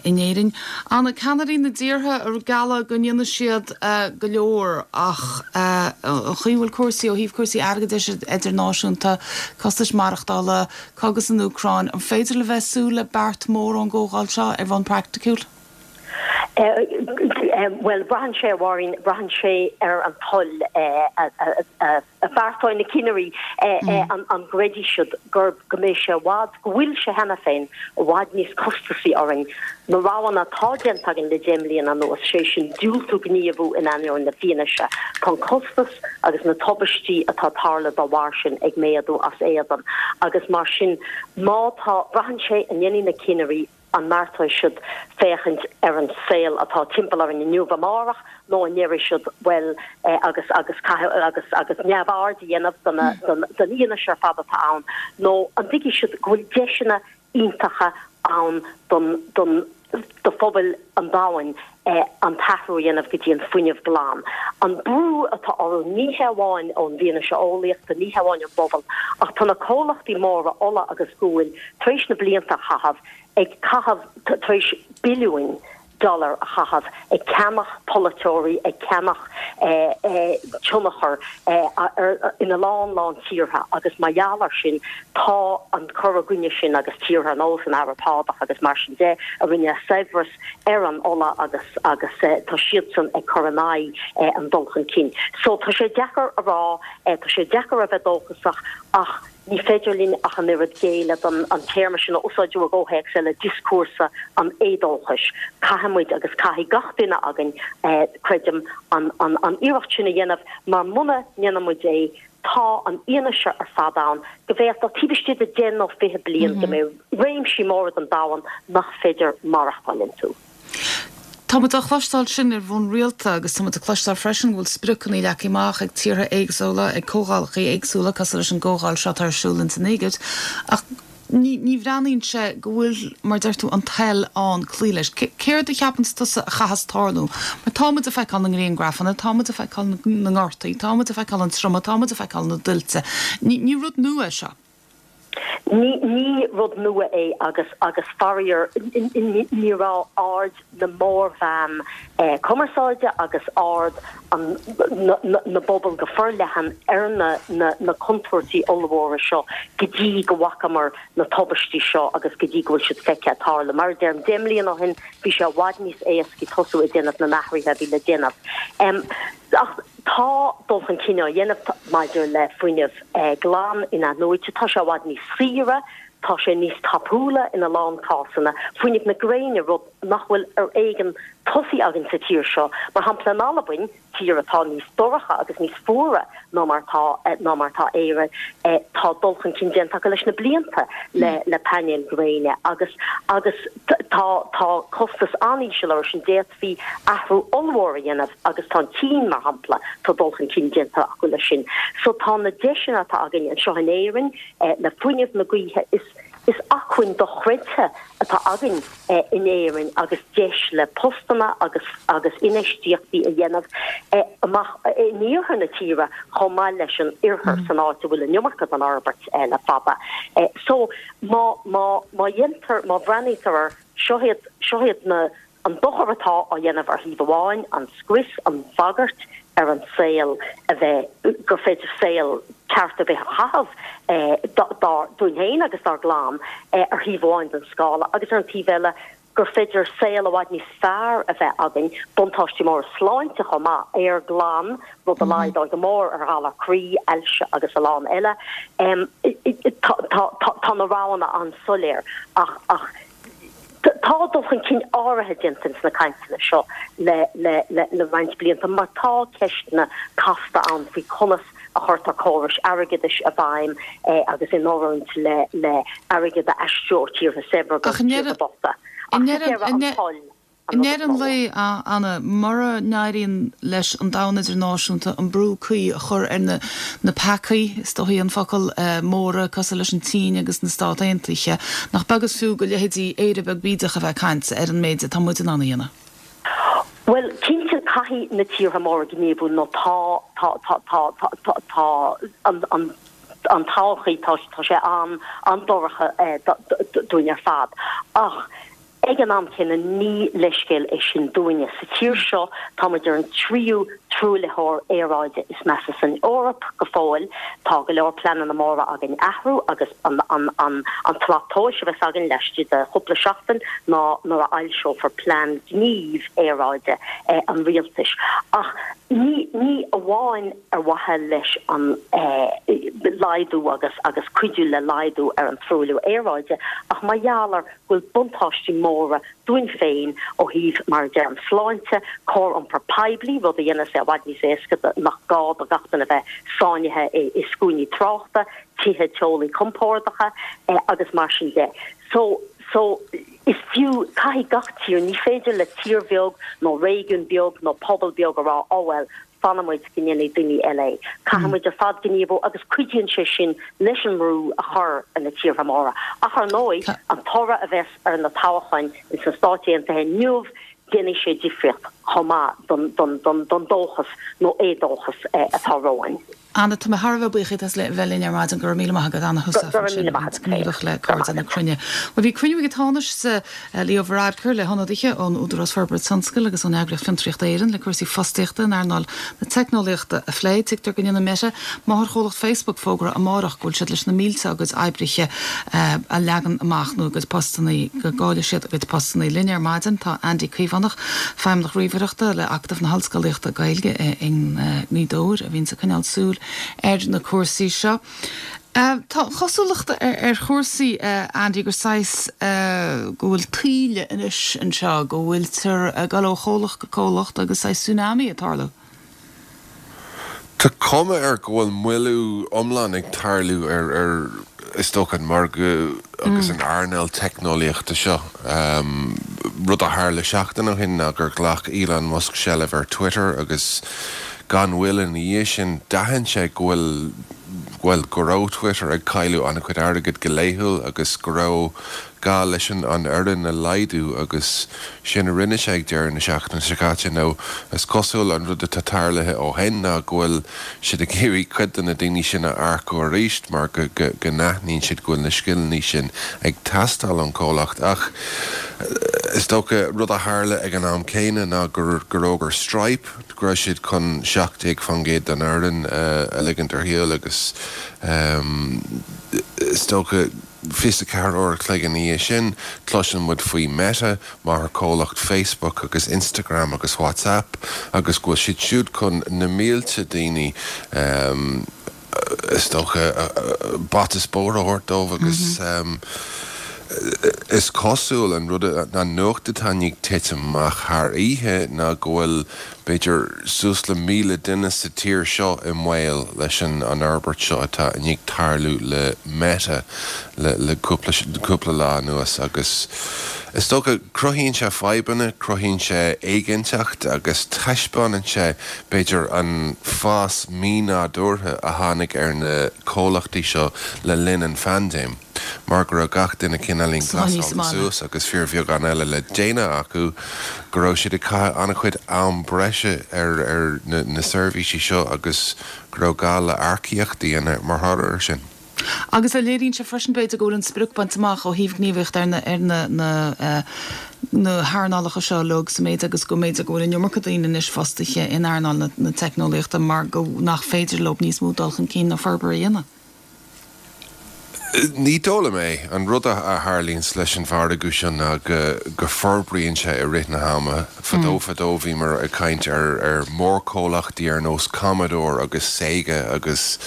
in Éirinn. Anna, ceannairí na dtíortha ag gealladh go ndéanfaidh siad go leor ach an chaoi a bhfuil cúrsaí ó thaobh cúrsaí airgeadais idirnáisiúnta, costais maireachtála, cogadh san Úcráin, an féidir le bheith súil le beart mór ón gcomhdháil seo ar bhonn praiticiúil? Bhuel, braitheann sé, a Mháirín, braitheann sé ar an toil a bheartóidh na cinnirí, an gcreidfidh siad gur, go mbeidh sé i bhfad, go bhfuil sé cheana féin, i bhfad níos costasaí orainn na roghanna atá déanta againn le deich mbliana anuas, sé sin diúltú gníomhú in ainneoin na fianaise. Tá an costas agus na tubaistí atá ag tarlú dá bharr sin ag méadú as éadan agus mar sin má tá, braitheann sé an ndéanfaidh na cinnirí an mbeartóidh siad féachaint ar an saol atá timpeall orainn inniu, amárach, nó an ndéarfaidh siad, bhuel, agus, agus caithfidh, agus, agus neamhaird a dhéanamh de na, den, den fhianaise ar fad atá ann, nó an dtuigfidh siad go bhfuil deiseanna iontacha ann don, don, do phobail an domhain an t-athrú a dhéanamh go dtí an fuinneamh glan. An brú atá orthu, ní hé amháin ón bhfianaise eolaíochta, ní hé amháin ón bpobal, ach tá na comhlachtaí móra ola agus guail tar éis na blianta a chaitheamh ag caitheamh, tar éis billiúin dollar a chaitheamh ag ceannach polaiteoirí, ag ceannach tionchar ina lán lán tíortha agus mar gheall air sin tá an cur i gcoinne sin agus tíortha ar nós an Araib Shádach agus mar sin de a rinne saibhreas ar an ola agus agus tá siadsan ag cur in aghaidh an dul chun cinn. So tá sé deacair a rá, tá sé deacair a bheith dóchasach ach ní féidir linn ach an oiread géilleadh don an téarma sin a úsáideadh i gcomhthéacs eile, dioscúrsa an éadóchais. Caithfidh muid agus caithfidh gach duine againn, creidim, an an iarracht sin a dhéanamh mar muna ndéanann muid é, tá an fhianaise ar fad ann go bhféadfadh, taobh istigh de deich nó fiche bliain, go mbeidh réimsí móra den domhan nach féidir maireachtáil iontu. Tá muid á chloisteáil sin ar bhonn rialta agus tá muid ag cloisteáil freisin go bhfuil spriocanna leagtha amach ag tíortha éagsúla, ag comhdhálacha éagsúla, cosúil leis an gcomhdháil seo atá ar siúl ins an Éigipt, ach ní ní bhreathnaíonn sé go bhfuil, mar deir tú, an toil ann cloí leis. Céard a cheapanns tusa a chaitheas tarlú? Mar tá muid ag feiceáil na ngriangrafanna, tá muid ag feiceáil na ngortaí, tá muid ag feiceáil an triomaigh, tá muid ag feiceáil na dtuilte. Ní ní rud nua é seo. Ní ní rud nua é agus agus faraor ní raibh aird na mórmheán cumarsáide agus aird an na bpobal go forleathan ar na na na contúirtí ollmhóra seo go dtí go bhfacamar na tubaistí seo agus go dtí go bhfuil siad feicthe ag tarlú. Mar a deirim, deich mbliana ó shin bhí sé i bhfad níos éascaí tosú ag déanamh na n-athruithe a bhí le déanamh. Ach tá dul chun cinn á dhéanamh maidir le fuinneamh glan in-athnuaite, tá sé i bhfad níos saoire, tá sé níos tapúla ina lán cásanna, fuinneamh na gréine, rud nach bhfuil ar éigean tosaithe againn sa tír seo, mar shampla in Albain, tír atá níos dorcha agus níos fuaire ná mar atá ná mar atá Éire, tá dul chun cinn déanta acu leis na blianta le le painéil ghréine agus agus tá tá costas an-íseal orthu sin, d'fhéadfaí athrú ollmhór a dhéanamh agus tá an tSín, mar shampla, tá dul chun cinn déanta acu leis sin. So tá na deiseanna atá againn anseo in Éirinn le fuinneamh na gaoithe, is Is acmhainn dochreidte atá againn in Éirinn agus deis le postanna agus agus infheistíochtaí a dhéanamh amach in iarthar na tíre chomh maith leis an oirthear san áit a bhfuil an iomarca den fhorbairt le fada. So má má má dhéantar, má bhreathnaítear air, seo iad seo iad na an dochar atá á dhéanamh ar thaobh amháin, an scrios, an bhagairt ar an saol a bheith, gur féidir saol ceart ar bith a chaitheamh dár, dúinn féin agus dár gclann ar thaobh amháin den scála agus ar an taobh eile gur féidir saol i bhfad níos fearr a bheith againn, buntáistí móra sláinte chomh maith, aer glan, rud a laghdóidh go mór ar ghalar croí, ailse agus a lán eile. Tá, tá, tá na roghanna an-soiléir ach, ach, Tá dul chun cinn áirithe déanta ins na cainteanna seo le le roinnt blianta mar tá ceisteanna casta ann faoi conas a chuirtear córais airgeadais i bhfeidhm agus in oiriúint le le airgead a aistriú ó tíortha saibhre go tíortha bochta. Ach sa deireadh an toil. I ndeireadh an lae, a Anna, mura n-éiríonn leis an domhan idirnáisiúnta an brú cuí a chur ar na na peacaí, is dóichí an focal, móra cosúil leis an tSín agus na Stáit Aontaithe, nach beag is fiú do leithéidí Éire beag bídeach a bheith ag caint ar an méid atá muid in ann a dhéanamh? Bhuel, cinnte, caithfidh na tíortha móra gníomhú nó tá, tá, tá, tá, tá, tá, tá an, an, an todhchaí, tá, tá sé an, an-dorcha dúinn ar fad. Ach. Ag an am céanna, ní leithscéal é sin dúinne. Sa tír seo, tá muid ar an tríú truaillitheoir aeráide is measa san Eoraip go fóill. Tá go leor pleananna móra againn athrú agus an an tslat tomhais a bheas againn laistigh de chúpla seachtain ná nuair a fhoilseofar plean gnímh aeráide an rialtais. Ach ní ní amháin ar mhaithe leis an laghdú agus agus cuidiú le laghdú ar an truailliú aeráide ach mar gheall ar go bhfuil buntáistí móra dúinn féin ó thaobh, mar a deirim, sláinte, cóir iompar poiblí, rud a dhéanas é i bhfad níos éasca nach gá do gach duine a bheith sáinnithe i scuainí tráchta, tithe teolaí compordacha agus mar sin de. So, so, is fiú, caithfidh gach tír, ní féidir le tír bheag nó réigiún beag nó pobal beag a rá, oh well, fanfaidh muid go ndéanfaidh daoine eile é. Caithfidh muid ar fad gníomhú agus cuidíonn sé sin leis an mbrú a chur ar na tíortha móra. Ach ar ndóigh, an toradh a bheas ar na toghcháin ins na Stáit Aontaithe inniu, déanfaidh sé difríocht chomh maith don dóchas nó éadóchas atá romhainn. Anna, tá mé thar a bheith buíoch díot as bheith linn ar maidin. Go raibh míle maith agat. Anna Heussaff ansin, gníomhach le Cairde na Cruinne. Bhuel, bhí cruinniú ag an Tánaiste Leo Varadkar le hionadaithe ón Údarás Forbartha Tionscail agus ón eagraíocht Fiontraíocht Éireann le cúrsaí fostaíochta in earnáil na teicneolaíochta a phlé. Tuigtear go ndéanfaidh Meta, máthairchomhlacht Facebook, fógra amárach go bhfuil siad leis na mílte dá gcuid oibrithe a leagan amach nó a gcuid postanna, go gcaillfidh siad a gcuid postanna. Linn ar maidin tá Andy Caomhánach, Feidhmeannach Ríomhaireachta le Acadamh na hOllscolaíochta Gaeilge i nGaoth Dobhair a bhíonns ag coinneáil súil ar na cúrsaí seo. Tá an chosúlacht ar chúrsaí, Andy, gur saghas go bhfuil taoille anois anseo, go bhfuiltear ag dul ó chomhlacht go comhlacht agus saghas tsunami ag tarlú. Tá cuma air go bhfuil moilliú iomlán ag tarlú ar, ar is dócha, an margadh agus an earnáil teicneolaíochta seo. Rud a tharla seachtain ó shin ná gur ghlac Elon Musk seilbh ar Twitter agus gan mhoill ina dhiaidh sin d'aithin sé go bhfuil, bhuel, go raibh Twitter ag cailleadh an-chuid airgid go laethúil agus go raibh gá leis an fhoireann a laghdú agus sin a rinne sé ag deireadh na seachtaine seo caite. Nó is cosúil an rud atá tarlaithe ó shin ná go bhfuil siad ag iarraidh cuid de na daoine sin a earcú arís mar go n-aithníonn siad go bhfuil na scileanna sin ag teastáil ón chomhlacht. Ach is dócha rud a tharla ag an am céanna ná gur fhógair Stripe go raibh siad chun seacht déag faoin gcéad den fhoireann a ligint ar shiúl agus is dócha fiche a ceathair uair a chloig ina dhiaidh sin, cloiseann muid faoi Meta, máthairchomhlacht Facebook agus Instagram agus WhatsApp, agus go bhfuil siad siúd chun na mílte daoine, is dócha, bata is bóthar a thabhairt dóibh agus is cosúil an rud, an nuacht atá i ndiaidh titim amach thar oíche ná go bhfuil b'fhéidir suas le míle duine sa tír seo i mbaol leis an fhorbairt seo atá i ndiaidh tarlú le Meta le cúpla lá anuas agus is dócha cruthaíonn sé fadhbanna, cruthaíonn sé éiginnteacht agus taispeánann sé b'fhéidir an fás mínádúrtha a tháinig ar na comhlachtaí seo le linn an phaindéim. Mar go raibh gach duine cineáilín glasáilte suas agus fíorbheagán eile le déanamh acu, go raibh siad ag caitheamh an-chuid am breise ar na seirbhísí seo agus go raibh gá le earcaíocht a dhéanamh mar thoradh air sin. Agus a léiríonn sé freisin, b'fhéidir, go bhfuil an sprioc bainte amach ó thaobh gníomhaíocht ar na na hearnálacha seo uilig sa méid agus go mb'fhéidir go bhfuil an iomarca daoine anois fostaithe in earnáil na teicneolaíochta mar go nach féidir leo níos mó dul chun cinn nó forbartha a dhéanamh. Ní dóigh liom é. An rud a tharlaíonns leis an mhargadh seo ná go forbraíonn sé i rith na hama. Fadó fadó bhíomar ag caint ar mhórchomhlachtaí ar nós Commodore agus Sega agus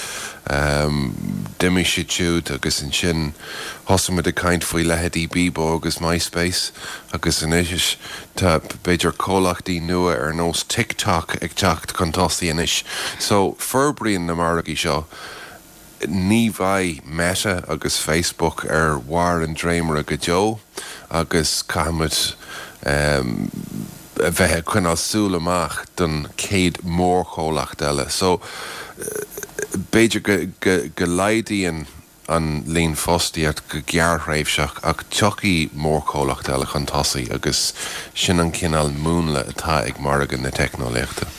d'imigh siad siúd agus ansin thosaigh muid ag caint faoi leithéidí Bebo agus MySpace agus anois tá b'fhéidir comhlachtaí nua ar nós TikTok ag teacht chun tosaigh anois. So forbraíonn na margaí seo. Ní bheidh Meta agus Facebook ar bharr an dréimire go deo agus caithfimid a bheith ag coinneáil súil amach don chéad mhórchomhlacht eile. So, b'fhéidir go laghdaíonn an líon fostaíocht go gearrthréimhseach ach tiocfaidh mórchomhlacht eile chun tosaigh agus sin an cineál múnla atá ag margadh na teicneolaíochta.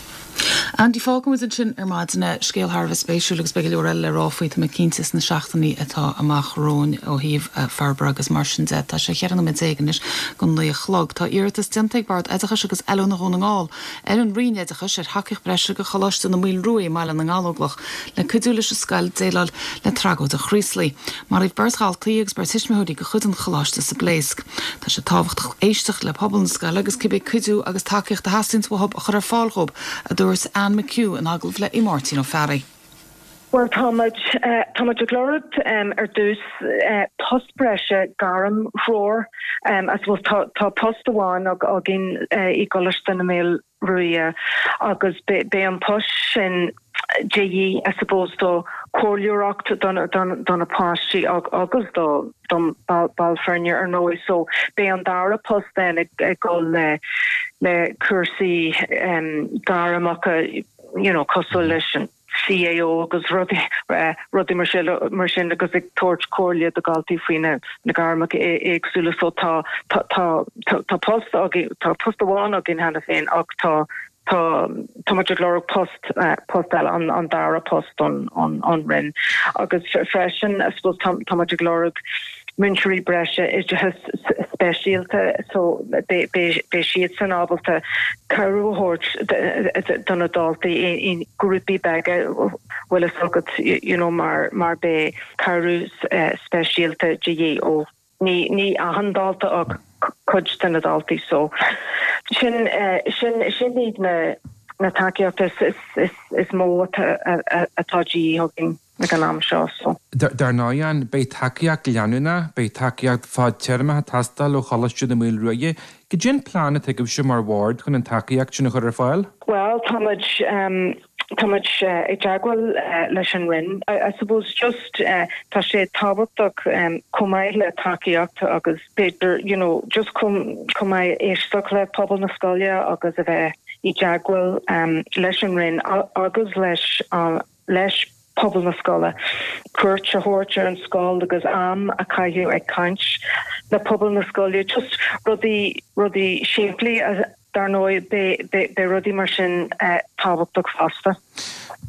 Andy, fágfaidh muid ansin ar maidin é. Scéal thar a bheith spéisiúil agus beidh go leor eile le rá faoi, tá mé cinnte, sna seachtainí atá amach romhainn ó thaobh forbartha agus mar sin de. Tá sé cheithre nóiméad déag anois go naoi a chlog. Tá iarratas déanta ag Bord Oideachais agus Oiliúna Dhún na nGall ar an Roinn Oideachais ar thacaíocht breise do Choláiste na Maoile Ruaidhe i mBaile na nGallóglach le cuidiú leis an scoil déileáil le tragóid an Chraoslaigh. Maraíodh beirt dhaltaí agus beirt thuismitheoirí de chuid an choláiste sa bpléasc. Tá sé tábhachtach éisteacht le pobal na scoile agus cibé cuidiú agus tacaíocht a theastaíonns uathu a chur ar fáil dhóibh, a dúirt Anne McHugh in agallamh le Máirtín Ó Fearraigh. Bhuel, tá muid, tá muid ag lorg ar dtús post breise gairmthreoir. I suppose tá, tá post amháin againn i gColáiste na Maoile Ruaidhe agus beidh an post sin de dhíth, I suppose, do chomhairleoireacht do na páistí agus do don ball foirne ar ndóigh. So beidh an dara post then ag dul le le cúrsaí gairmeacha, you know, cosúil leis an CAO agus rudaí rudaí mar sin mar sin agus ag tabhairt comhairle do dhaltaí faoi na na gairmeacha éagsúla. So tá tá tá tá post againn tá post amháin againn cheana féin ach tá tá tá muid ag lorg post post eile an an dara post don an an Roinn agus freisin I suppose tá tá muid ag lorg múinteoirí breise oideachas speisialta so beidh beidh siadsan ábalta cabhrú a thabhairt do na daltaí i ngrúpaí beaga bhfuil fhios agat you know mar mar beidh cabhrú speisialta de dhíth ó Ní ní achan dalta ach cuid de na daltaí so sin sin sin iad na na tacaíochtaí is is is mó atá atá de dhíth againn ag an am seo so. Dar ndóigh, Anne, beidh tacaíocht leanúnach, beidh tacaíocht fadtéarmach ag teastáil ó Choláiste na Maoile Ruaidhe. Cad é an plean atá agaibhse mar bhord chun an tacaíocht sin a chur ar fáil? Bhuel, tá muid Tá muid i dteagmháil leis an Roinn. I suppose just tá sé tábhachtach chomh maith le tacaíocht agus b'fhéidir you know just chomh chomh maith éisteacht le pobal na scoile agus a bheith i dteagmháil leis an Roinn agus leis leis pobal na scoile, cuairt a thabhairt ar an scoil agus am a chaitheamh ag caint le pobal na scoile, just rudaí rudaí simplí dar ndóigh beidh rudaí mar sin tábhachtach fosta.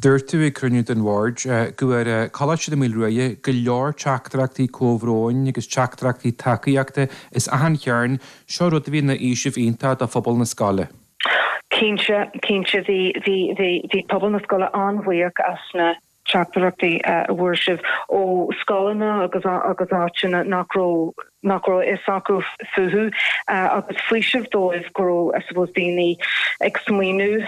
Dúirt tú ag cruinniú den bhord go bhfuair Coláiste na Maoile Ruaidhe go leor teachtaireachtaí comhbhróin agus teachtaireachtaí tacaíochta as achan chearn, seo rud a bhí ina fhaoiseamh iontach do phobal na scoile. Cinnte, cinnte bhí bhí bhí bhí pobal na scoile an-bhuíoch as na teachtaireachtaí a bhfuair sibh ó scoileanna agus agus áiteanna nach raibh nach raibh a fhios acu fúthu agus faoiseamh dóibh go raibh I suppose daoine ag smaoineamh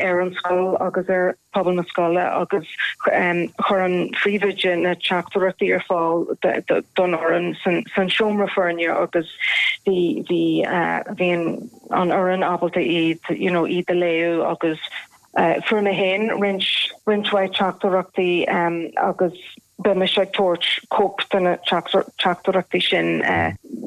ar an scoil agus ar phobal na scoile agus chuir an phríomhoide na teachtaireachtaí ar fáil don fhoireann san seomra foirne agus bhí bhí bhí an an fhoireann ábalta iad you know iad a léamh agus Fuair mé féin roinnt roinnt mhaith teachtaireachtaí agus beidh mise ag tabhairt cóip de na teachtaireachtaí sin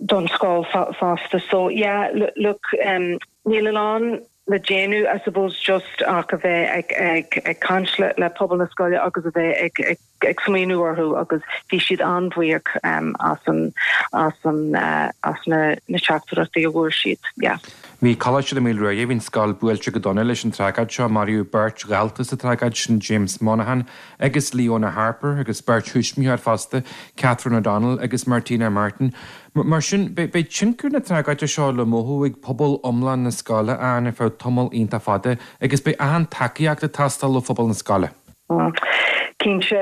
don scoil fosta. So yeah, look, níl a lán le déanamh I suppose just ach a bheith ag ag ag caint le le pobal na scoile agus a bheith ag ag ag smaoineamh orthu agus bhí siad an-bhuíoch as an as an as na na teachtaireachtaí a bhfuair siad. Yeah. Bhí Coláiste na Maoile Ruaidhe, bhí an scoil buailte go dona leis an tragóid seo, maraíodh beirt dhalta sa tragóid sin, James Monaghan agus Leona Harper, agus beirt thuismitheoir fosta, Catherine O'Donnell agus Martina Martin. Mar sin, beidh tionchar na tragóide seo le mothú ag pobal iomlán na scoile ann ar feadh tamall iontach fada agus beidh achan tacaíocht ag teastáil ó phobal na scoile. Cinnte,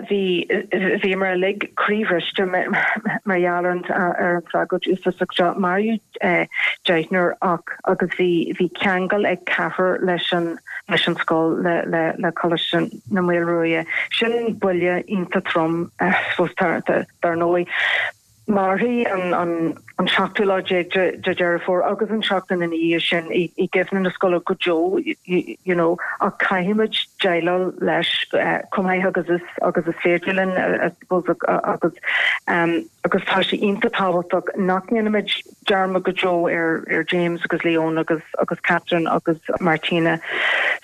bhí, bhíomar uilig croíbhriste mar gheall ar an ar an tragóid uafásach seo. Maraíodh deichniúr ach agus bhí bhí ceangal ag ceathrar leis an leis an scoil le le le Coláiste na Maoile Ruaidhe. Sin buille iontach trom, I suppose, dar ndóigh. Mairfidh an an seachtú lá déag de Dheireadh Fómhair agus an tseachtain ina dhiaidh sin i gcuimhne na scoile go deo you know ach caithfimid déileáil leis chomh maith agus is agus is féidir linn I suppose agus agus tá sé iontach tábhachtach nach ndéanfaimid dearmad go deo ar ar James agus Leona agus agus Catherine agus Martina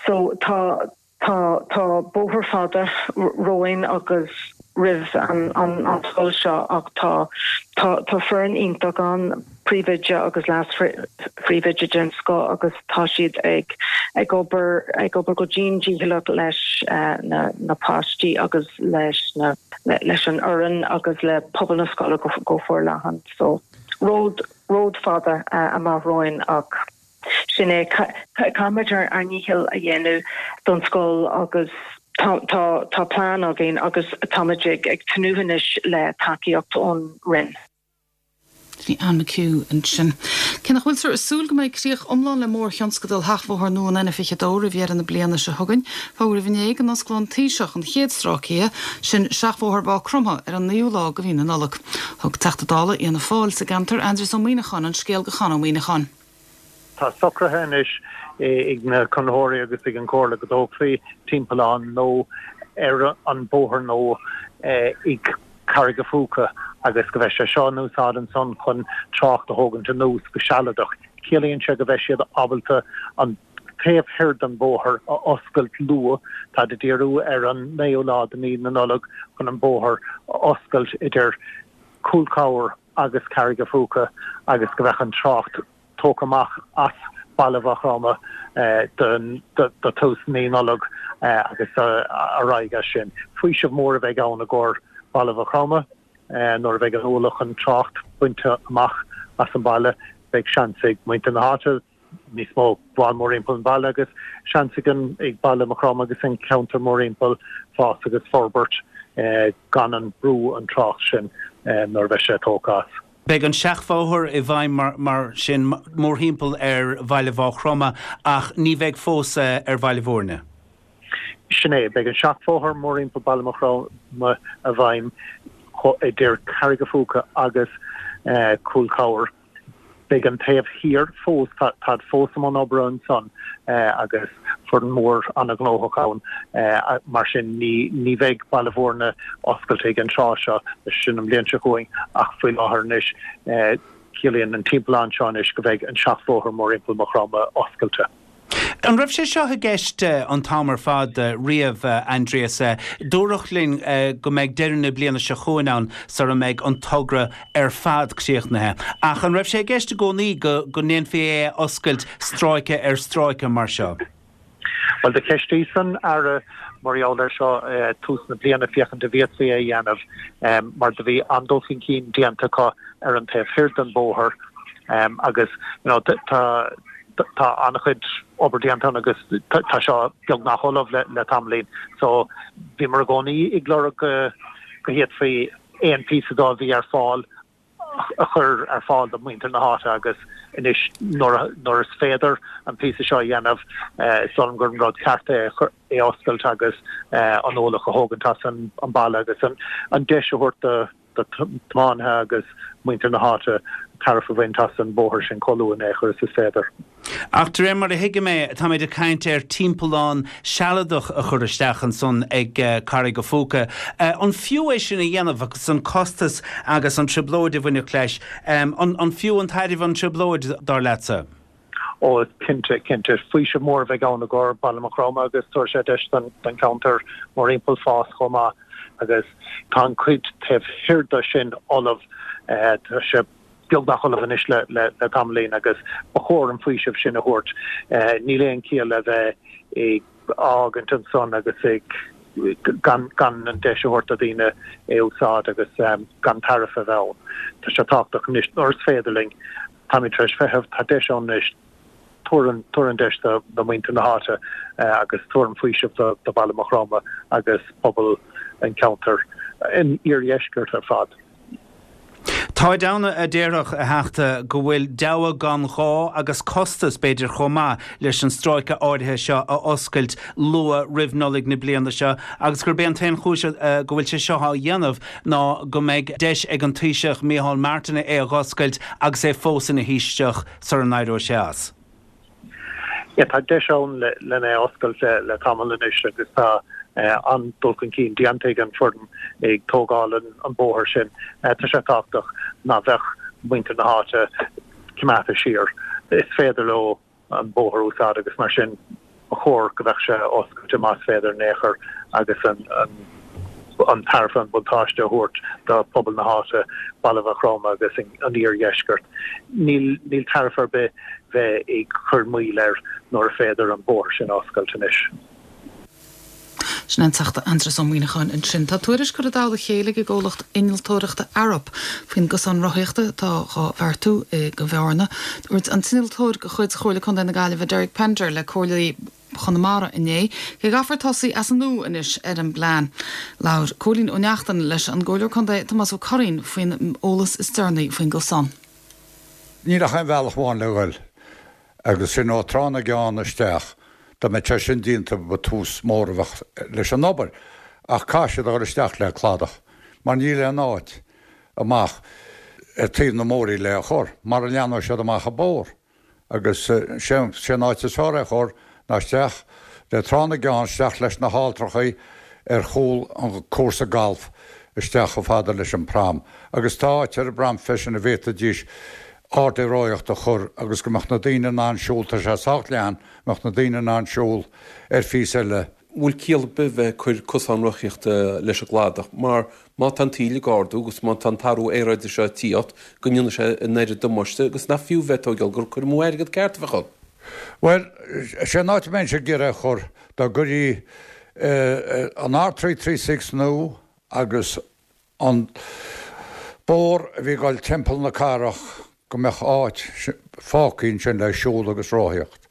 so tá Tá tá bóthar fada romhainn agus roimh an an scoil seo ach tá tá tá foireann iontach ann, príomhoide agus leas-phríomhoide den scoth agus tá siad ag ag obair ag obair go dian dícheallach leis na na páistí agus leis na leis an fhoireann agus le pobal na scoile go go forleathan. So ród ród fada amach romhainn ach Sin é, caithfimid ár ndícheall a dhéanamh don scoil agus tá plean againn agus táimid ag tnúth anois le tacaíocht ón Roinn. Bhí Anne McHugh ansin. Cé nach bhfuiltear ag súil go mbeidh críoch iomlán le mórthionscadal sheachbhóthar nua an N fiche dó roimh dheireadh na bliana seo chugainn, fógraíodh inné go n-osclóidh an Taoiseach an chéad stráice, sin seachbhóthar Mhaigh Chromtha, ar an naoú lá de mhí na Nollag. Thug Teachta Dála Fhianna Fáil sa gceantar, Aindrias Ó Muimhneacháin, an scéal do Chonn Ó Muimhneacháin. Tá socraithe anois ag na conraitheoirí agus ag an Chomhairle go dtógfaí timpeallán nua ar an bóthar nua i gCarraig a' Phúca agus go mbeidh sé seo in úsáid ansan chun trácht a thógaint anuas go sealadach. Ciallaíonn sé go mbeidh siad ábalta an taobh thoir den bhóthar a oscailt luath. Táid ag díriú ar an naoú lá de mhí na Nollag chun an bóthar a oscailt idir Cúl Cabhair agus Carraig a' Phúca agus go mbeadh an trácht tógtha amach as baile Mhaigh Chromtha do thús mí Nollag agus ar aghaidh as sin. Faoiseamh mór a bheidh ann i gcomhair baile Mhaigh Chromtha nuair a bheidh an ualach an trácht bainte amach as an baile. Beidh seans ag muintir na háite níos mó gabháil mórthimpeall an bhaile agus seans ag an ag baile Mhaigh Chromtha agus an ceantar mórthimpeall fás agus forbairt gan an brú an trácht sin nuair a bheidh sé tógtha as. Beidh an seachbhóthar i bhfeidhm mar sin mórthimpeall ar bhaile Mhaigh Chromtha ach ní bheidh fós ar Bhaile Bhúirne. Sin é, beidh an seachbhóthar mórthimpeall baile Mhaigh Chromtha i bhfeidhm idir Carraig a' Phúca agus Cúl Cabhair. Beidh an taobh thiar fós, táid fós i mbun oibre ansan agus foireann mhór an-ghnóthach ann, mar sin ní bheidh Baile Bhúirne oscailte ag an tráth seo, sin an bhliain seo chugainn, ach faoi láthair anois ciallaíonn an timpeallán seo anois go mbeidh an seachbhóthar mórthimpeall Maigh Chromtha oscailte. An raibh sé seo i gceist an t-am ar fad riamh, Aindrias? Dúradh linn go mbeidh deireadh na bliana seo chugainn ann sara mbeidh an togra ar fad críochnaithe. Ach an raibh sé i gceist i gcónaí go go ndéanfaí é a oscailt stráice ar stráice mar seo? Bhuel, do cheistíos an Aire mar gheall air seo tús na bliana féachaint an bhféadfaí é a dhéanamh mar do bhí an-dul chun cinn déanta acu ar an taobh thoir den bhóthar agus you know tá tá an-chuid obair déanta ann agus tá seo beagnach ullamh le le tamaillín. So bhíomar i gcónaí ag lorg go go bhféadfaí aon phíosa dó a bhí ar fáil a chur ar fáil do mhuintir na háite agus anois nuair nuair is féidir an píosa seo a dhéanamh is dóigh liom gur an rud ceart é é a oscailt agus an ualach a thógaint as an an baile agus an an deis a thabhairt do do thiománaithe agus muintir na háite tairbhe a bhaint as an bóthar sin chomh luath in aon chor is is féidir. Ach de réir mar a thuigim é, táimid ag caint ar timpeallán sealadach a chur isteach ansan ag Carraig a' Phúca. An fiú é sin a dhéanamh agus an costas agus an trioblóid a bhainfeadh leis? An fiú an tairbhe an trioblóid, dar leatsa? Ó, cinnte, cinnte. Faoiseamh mór a bheidh ann i gcomhair Baile Mhaigh Chromtha agus tabharfaidh sé deis don cheantar mórthimpeall fás chomh maith agus tá an cuid taobh thiar de sin ullamh. Tá sé beagnach ullamh anois le le tamaillín agus ba chóir an faoiseamh sin a thabhairt. Níl aon chiall le bheith ag fhágaint ansan agus ag gan gan an deis a thabhairt do dhaoine é a úsáid agus gan tairbhe a bheith ann. Tá sé tábhachtach anois nuair is féidir linn, táimid tar éis feitheamh, tá deis ann anois, tabhair an tabhair an deis do do mhuintir na háite agus tabhair an faoiseamh do do Bhaile Mhaigh Chromtha agus pobal an cheantair, an iardheiscirt ar fad. Táid ann a déarfadh, a Theachta, go bhfuil deabhadh gan ghá agus costas, b'fhéidir, chomh maith leis an stráice áirithe seo a oscailt luath roimh Nollaig na bliana seo agus gurb é an t-aon chúis go bhfuil sé seo á dhéanamh ná go mbeidh deis ag an Taoiseach Micheál Martin é a dh'oscailt agus é fós ina Thaoiseach sara n-éireoidh sé as. Yeah, tá deis ann len é a oscailt le tamall anois agus tá an-dul chun cinn déanta ag an foireann ag tógáil an bóthar sin. Tá sé tábhachtach ná bheadh muintir na háite coimeádta siar. Is féidir leo an bóthar a úsáid agus mar sin ba chóir go mbeadh sé oscailte más féidir in aon chor agus an an tairbhe, an buntáiste a thabhairt do phobal na háite, Baile Mhaigh Chromtha agus an iardheisceart. Níl níl tairbhe ar bith bheith ag cur moill air nuair a féidir an bóthar sin a oscailt anois. Sin an Teachta Aindrias Ó Muimhneacháin ansin. Tá tuairisc curtha i dtoll a chéile ag an gcomhlacht innealtóireachta Arup faoin gcosán rothaíochta atá dhá bheartú i gCo Bhearna. Dúirt an t-innealtóir de chuid Chomhairle Contae na Gaillimhe Derek Pender le Comhairleoirí Chonamara inné go gcaithfear tosaí as an nua anois ar an bplean. Labhair Cóilín Ó Neachtain leis an gComhairleoir Contae Tomás Ó Curraoin faoin eolas is deireanaí faoin gcosán. Níl ach aon bhealach amháin le ghoil agus sin ó Trá na gCeann isteach. Dá mbeadh sé sin déanta ba tús mór a bheadh leis an obair ach caithfidh siad a dhul isteach le cladach mar níl aon áit amach ar taobh na Móirí le a chur mara leathnóidh siad amach an bóthar agus sé an áit is fearr é a chur ná isteach le Trá na gCeann isteach leis na halltrachaí ar chúl an cúrsa galf isteach chomh fada leis an prom agus tá áit ar an bprom freisin a bhféadfaidís ardaí rothaíochta a chur agus go mbeadh na daoine in ann siúl, tá sé sách leathan, go mbeadh na daoine in ann siúl ar phíosa eile. bhfuil ciall ar bith bheith ag cur cosán rothaíochta leis an gcladach mar má tá an taoille ag ardú agus má tá an t-athrú aeráide seo ag tíocht go ndéanfaidh sé an oiread damáiste agus nach fiú bheith ag tóigeáil gur cur amú airgead ceart a bheadh ann. Bhuel, sé an áit a mbeinnse ag iarraidh a chur, dá gcuirí an R three three six nua agus an bóthar a bhí ag dul timpeall na cathrach go mbeadh áit fágtha ansin le siúl agus rothaíocht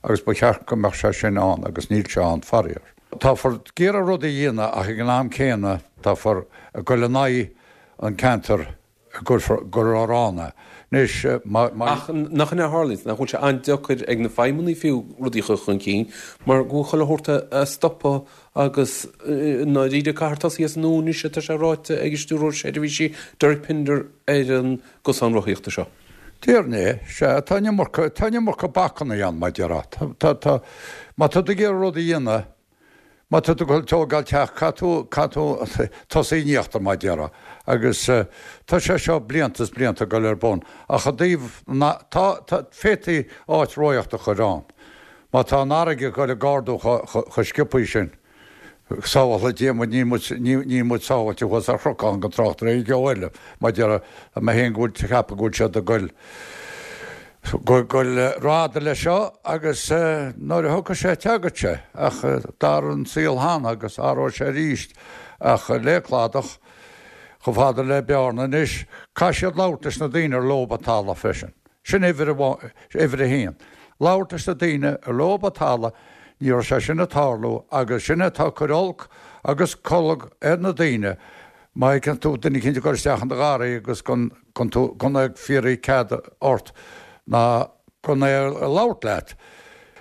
agus ba cheart go mbeadh sé sin ann agus níl sé ann faraor. Táfar ag iarraidh rud a dhéanamh ach ag an am céanna táfar ag dul in aghaidh an ceantar a gcuirfear gur ann é. Anois má. Ach nach in é a tharlaíonns, nach bhfuil sé an-deacair ag na feidhmeannaigh fiú rudaí a chur chun cinn mar go bhfuil chuile shórt á stopadh agus i ndáiríre caithfear tosaí as an nua anois atá sé ráite ag an Stiúrthóir Seirbhísí Derek Pinder ar an gcosán rothaíochta seo. Déarfainn é, sea, tá an iomarca, tá an iomarca bacanna ann, mar a déarfá. Tá, tá, tá, má tá tú ag iarraidh rud a dhéanamh, má tá tú ag dul tógáil teach, caithfidh tú, caithfidh tú tosaí in íochtar, mar a déarfá. Agus tá sé seo blianta is blianta ag dul ar bun. Ach i dtaobh na, tá, tá, féadfaí áit rothaíochta a chur ann. Má tá an fharraige ag dul ag ardú chomh sciobthaí sin, sábhála Dia muid, níl muid, níl muid sábháilte thuas ar chnocán gan trácht ar aon cheo eile, mar déarfá, tá mé féin go bhfuil, ceapadh go bhfuil siad ag goil, goil rófhada leis seo agus nuair a thiocfaidh sé, teagann sé, ach d'athraigh an saol cheana agus athróidh sé arís ach le cladach chomh fada le Bearna anois, caithfidh siad labhairt leis na daoine ar leob an talamh freisin. Sin uimhir amháin, uimhir a haon. Labhairt leis na daoine ar leob an talamh, ní raibh sé sin ag tarlú agus sin atá ag cur olc agus colg ar na daoine, má fheiceann tú duine eicínt ag dul isteach in do gharraí agus gan, gan tú, gan é ag fiafraí cead ort ná gan é ag labhairt leat.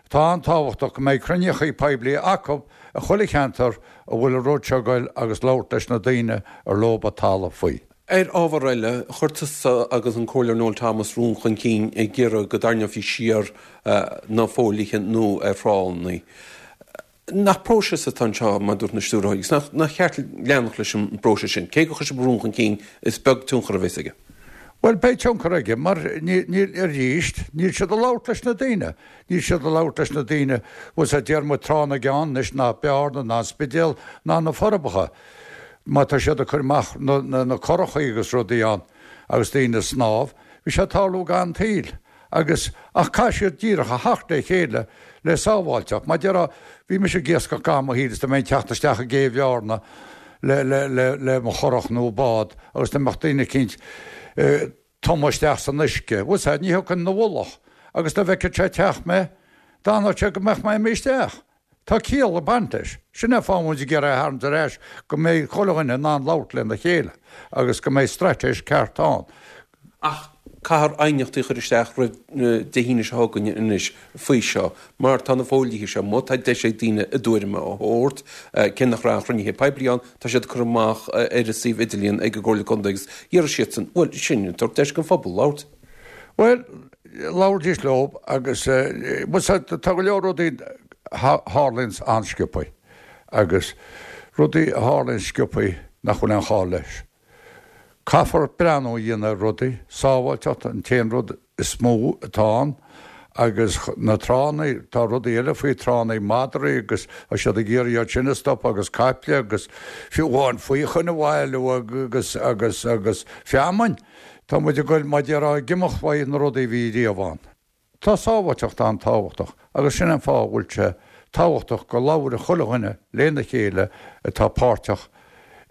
Tá an-tábhachtach go mbeidh cruinníochaí poiblí acu i chuile cheantar a bhfuil an rud seo ag goil agus labhairt leis na daoine ar leob an talamh faoi. Ar ábhar eile, chuir tusa agus an Comhairleoir Noel Thomas rún chun cinn ag iarraidh go dtarraingeofaí siar na fodhlíthe nua ar thránna. Nach próiseas atá anseo, mar a dúirt na stiúrthóirí, agus nach ceart leanacht leis an bpróiseas sin? Cé gur chuir sibh rún chun cinn, is beag tionchar a bheas aige. Bhuel, beidh tionchar aige, mar níl, arís, níl siad ag labhairt leis na daoine. Níl siad ag labhairt leis na daoine, bhfuil 's a'd, deir muid Trá na gCeann anois, ná Bearna, ná an Spidéal, ná na Forbacha. Má tá siad ag cur amach na curachaí agus rudaí ann agus daoine ag snámh, bhí sé ag tarlú gan tsaoil agus, ach caithfidh siad díreach a theacht le chéile le sábháilteacht. Mar déarfá, bhí mise ag iascach gach mo shaol is dá mbeinn ag teacht isteach i gcé Bhearna le, le, le, le mo churach nó bád agus dá mbeadh duine eicínt ag tumadh isteach san uisce, bhfuil 's a'd, ní thiocfainn ina mhullach agus dá bhfeicfeadh sé ag teacht mé, d'fhanfadh sé go mbeadh mé imithe isteach. Tá ciall ag baint leis. Sin é an fáth muid ag iarraidh é a tharraingt ar ais, go mbeidh chuile dhuine in ann labhairt lena chéile agus go mbeidh straitéis ceart ann. Ach caithfear aighneachtaí a chur isteach roimh Dé hAoine seo chugainn anois faoi seo, mar tá na fodhlíthe seo amuigh, tá deis ag daoine a dtuairim a thabhairt, cé nach raibh aon chruinnithe poiblí ann, tá siad curtha amach ar an suíomh idirlíon ag an gComhairle Contae agus iarrfaidh siadsan, bhuel, sin, tabhairt deis don phobal labhairt. Bhuel, labhraídís leo agus, bhuel, tá go leor rudaí a tharlaíonns an-sciobthaí agus rudaí a tharlaíonn sciobthaí nach bhfuil aon chall leis. Caithfear breathnú a dhéanamh ar rudaí, sábháilteacht an t-aon rud is mó atá ann agus na tránna, tá rudaí eile faoi tránna, madraí agus tá siad ag iarraidh iad sin a stopadh agus caiple agus fiú amháin faochain a bhailiú agus agus agus feamainn. Tá muid ag goil, mar a déarfá, ag imeacht uaidh na rudaí a bhí riamh ann. Tá sábháilteacht an-tábhachtach agus sin an fáth a bhfuil sé tábhachtach go labhradh chuile dhuine lena chéile atá páirteach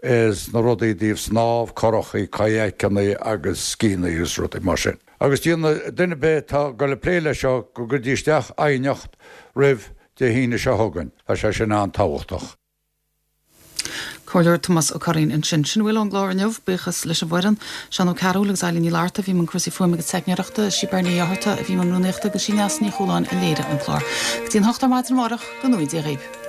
sna rudaí i dtaobh snámh, curachaí, kayakeanna agus scíonna agus rudaí mar sin. Agus déanadh duine ar bith atá ag goil ag plé leis seo go gcuirdí isteach aighneacht roimh Dé hAoine seo chugainn. Tá sé sin an-tábhachtach. Comhairleoir Tomás Ó Curraoin ansin. Sin a bhfuil ón gclár inniu. Buíochas leis an bhfoireann, Seán Ó Cearúil agus Eilín Ní Fhlatharta a bhí i mbun cúrsaí fuaime agus teicneoireachta, sí Bernie Uí Fhátharta a bhí i mbun rúnaíochta agus sí Neasa Ní Chualáin a léirigh an clár. Go dtí an hocht ar maidin amárach, go ngnóthaí Dia dhaoibh.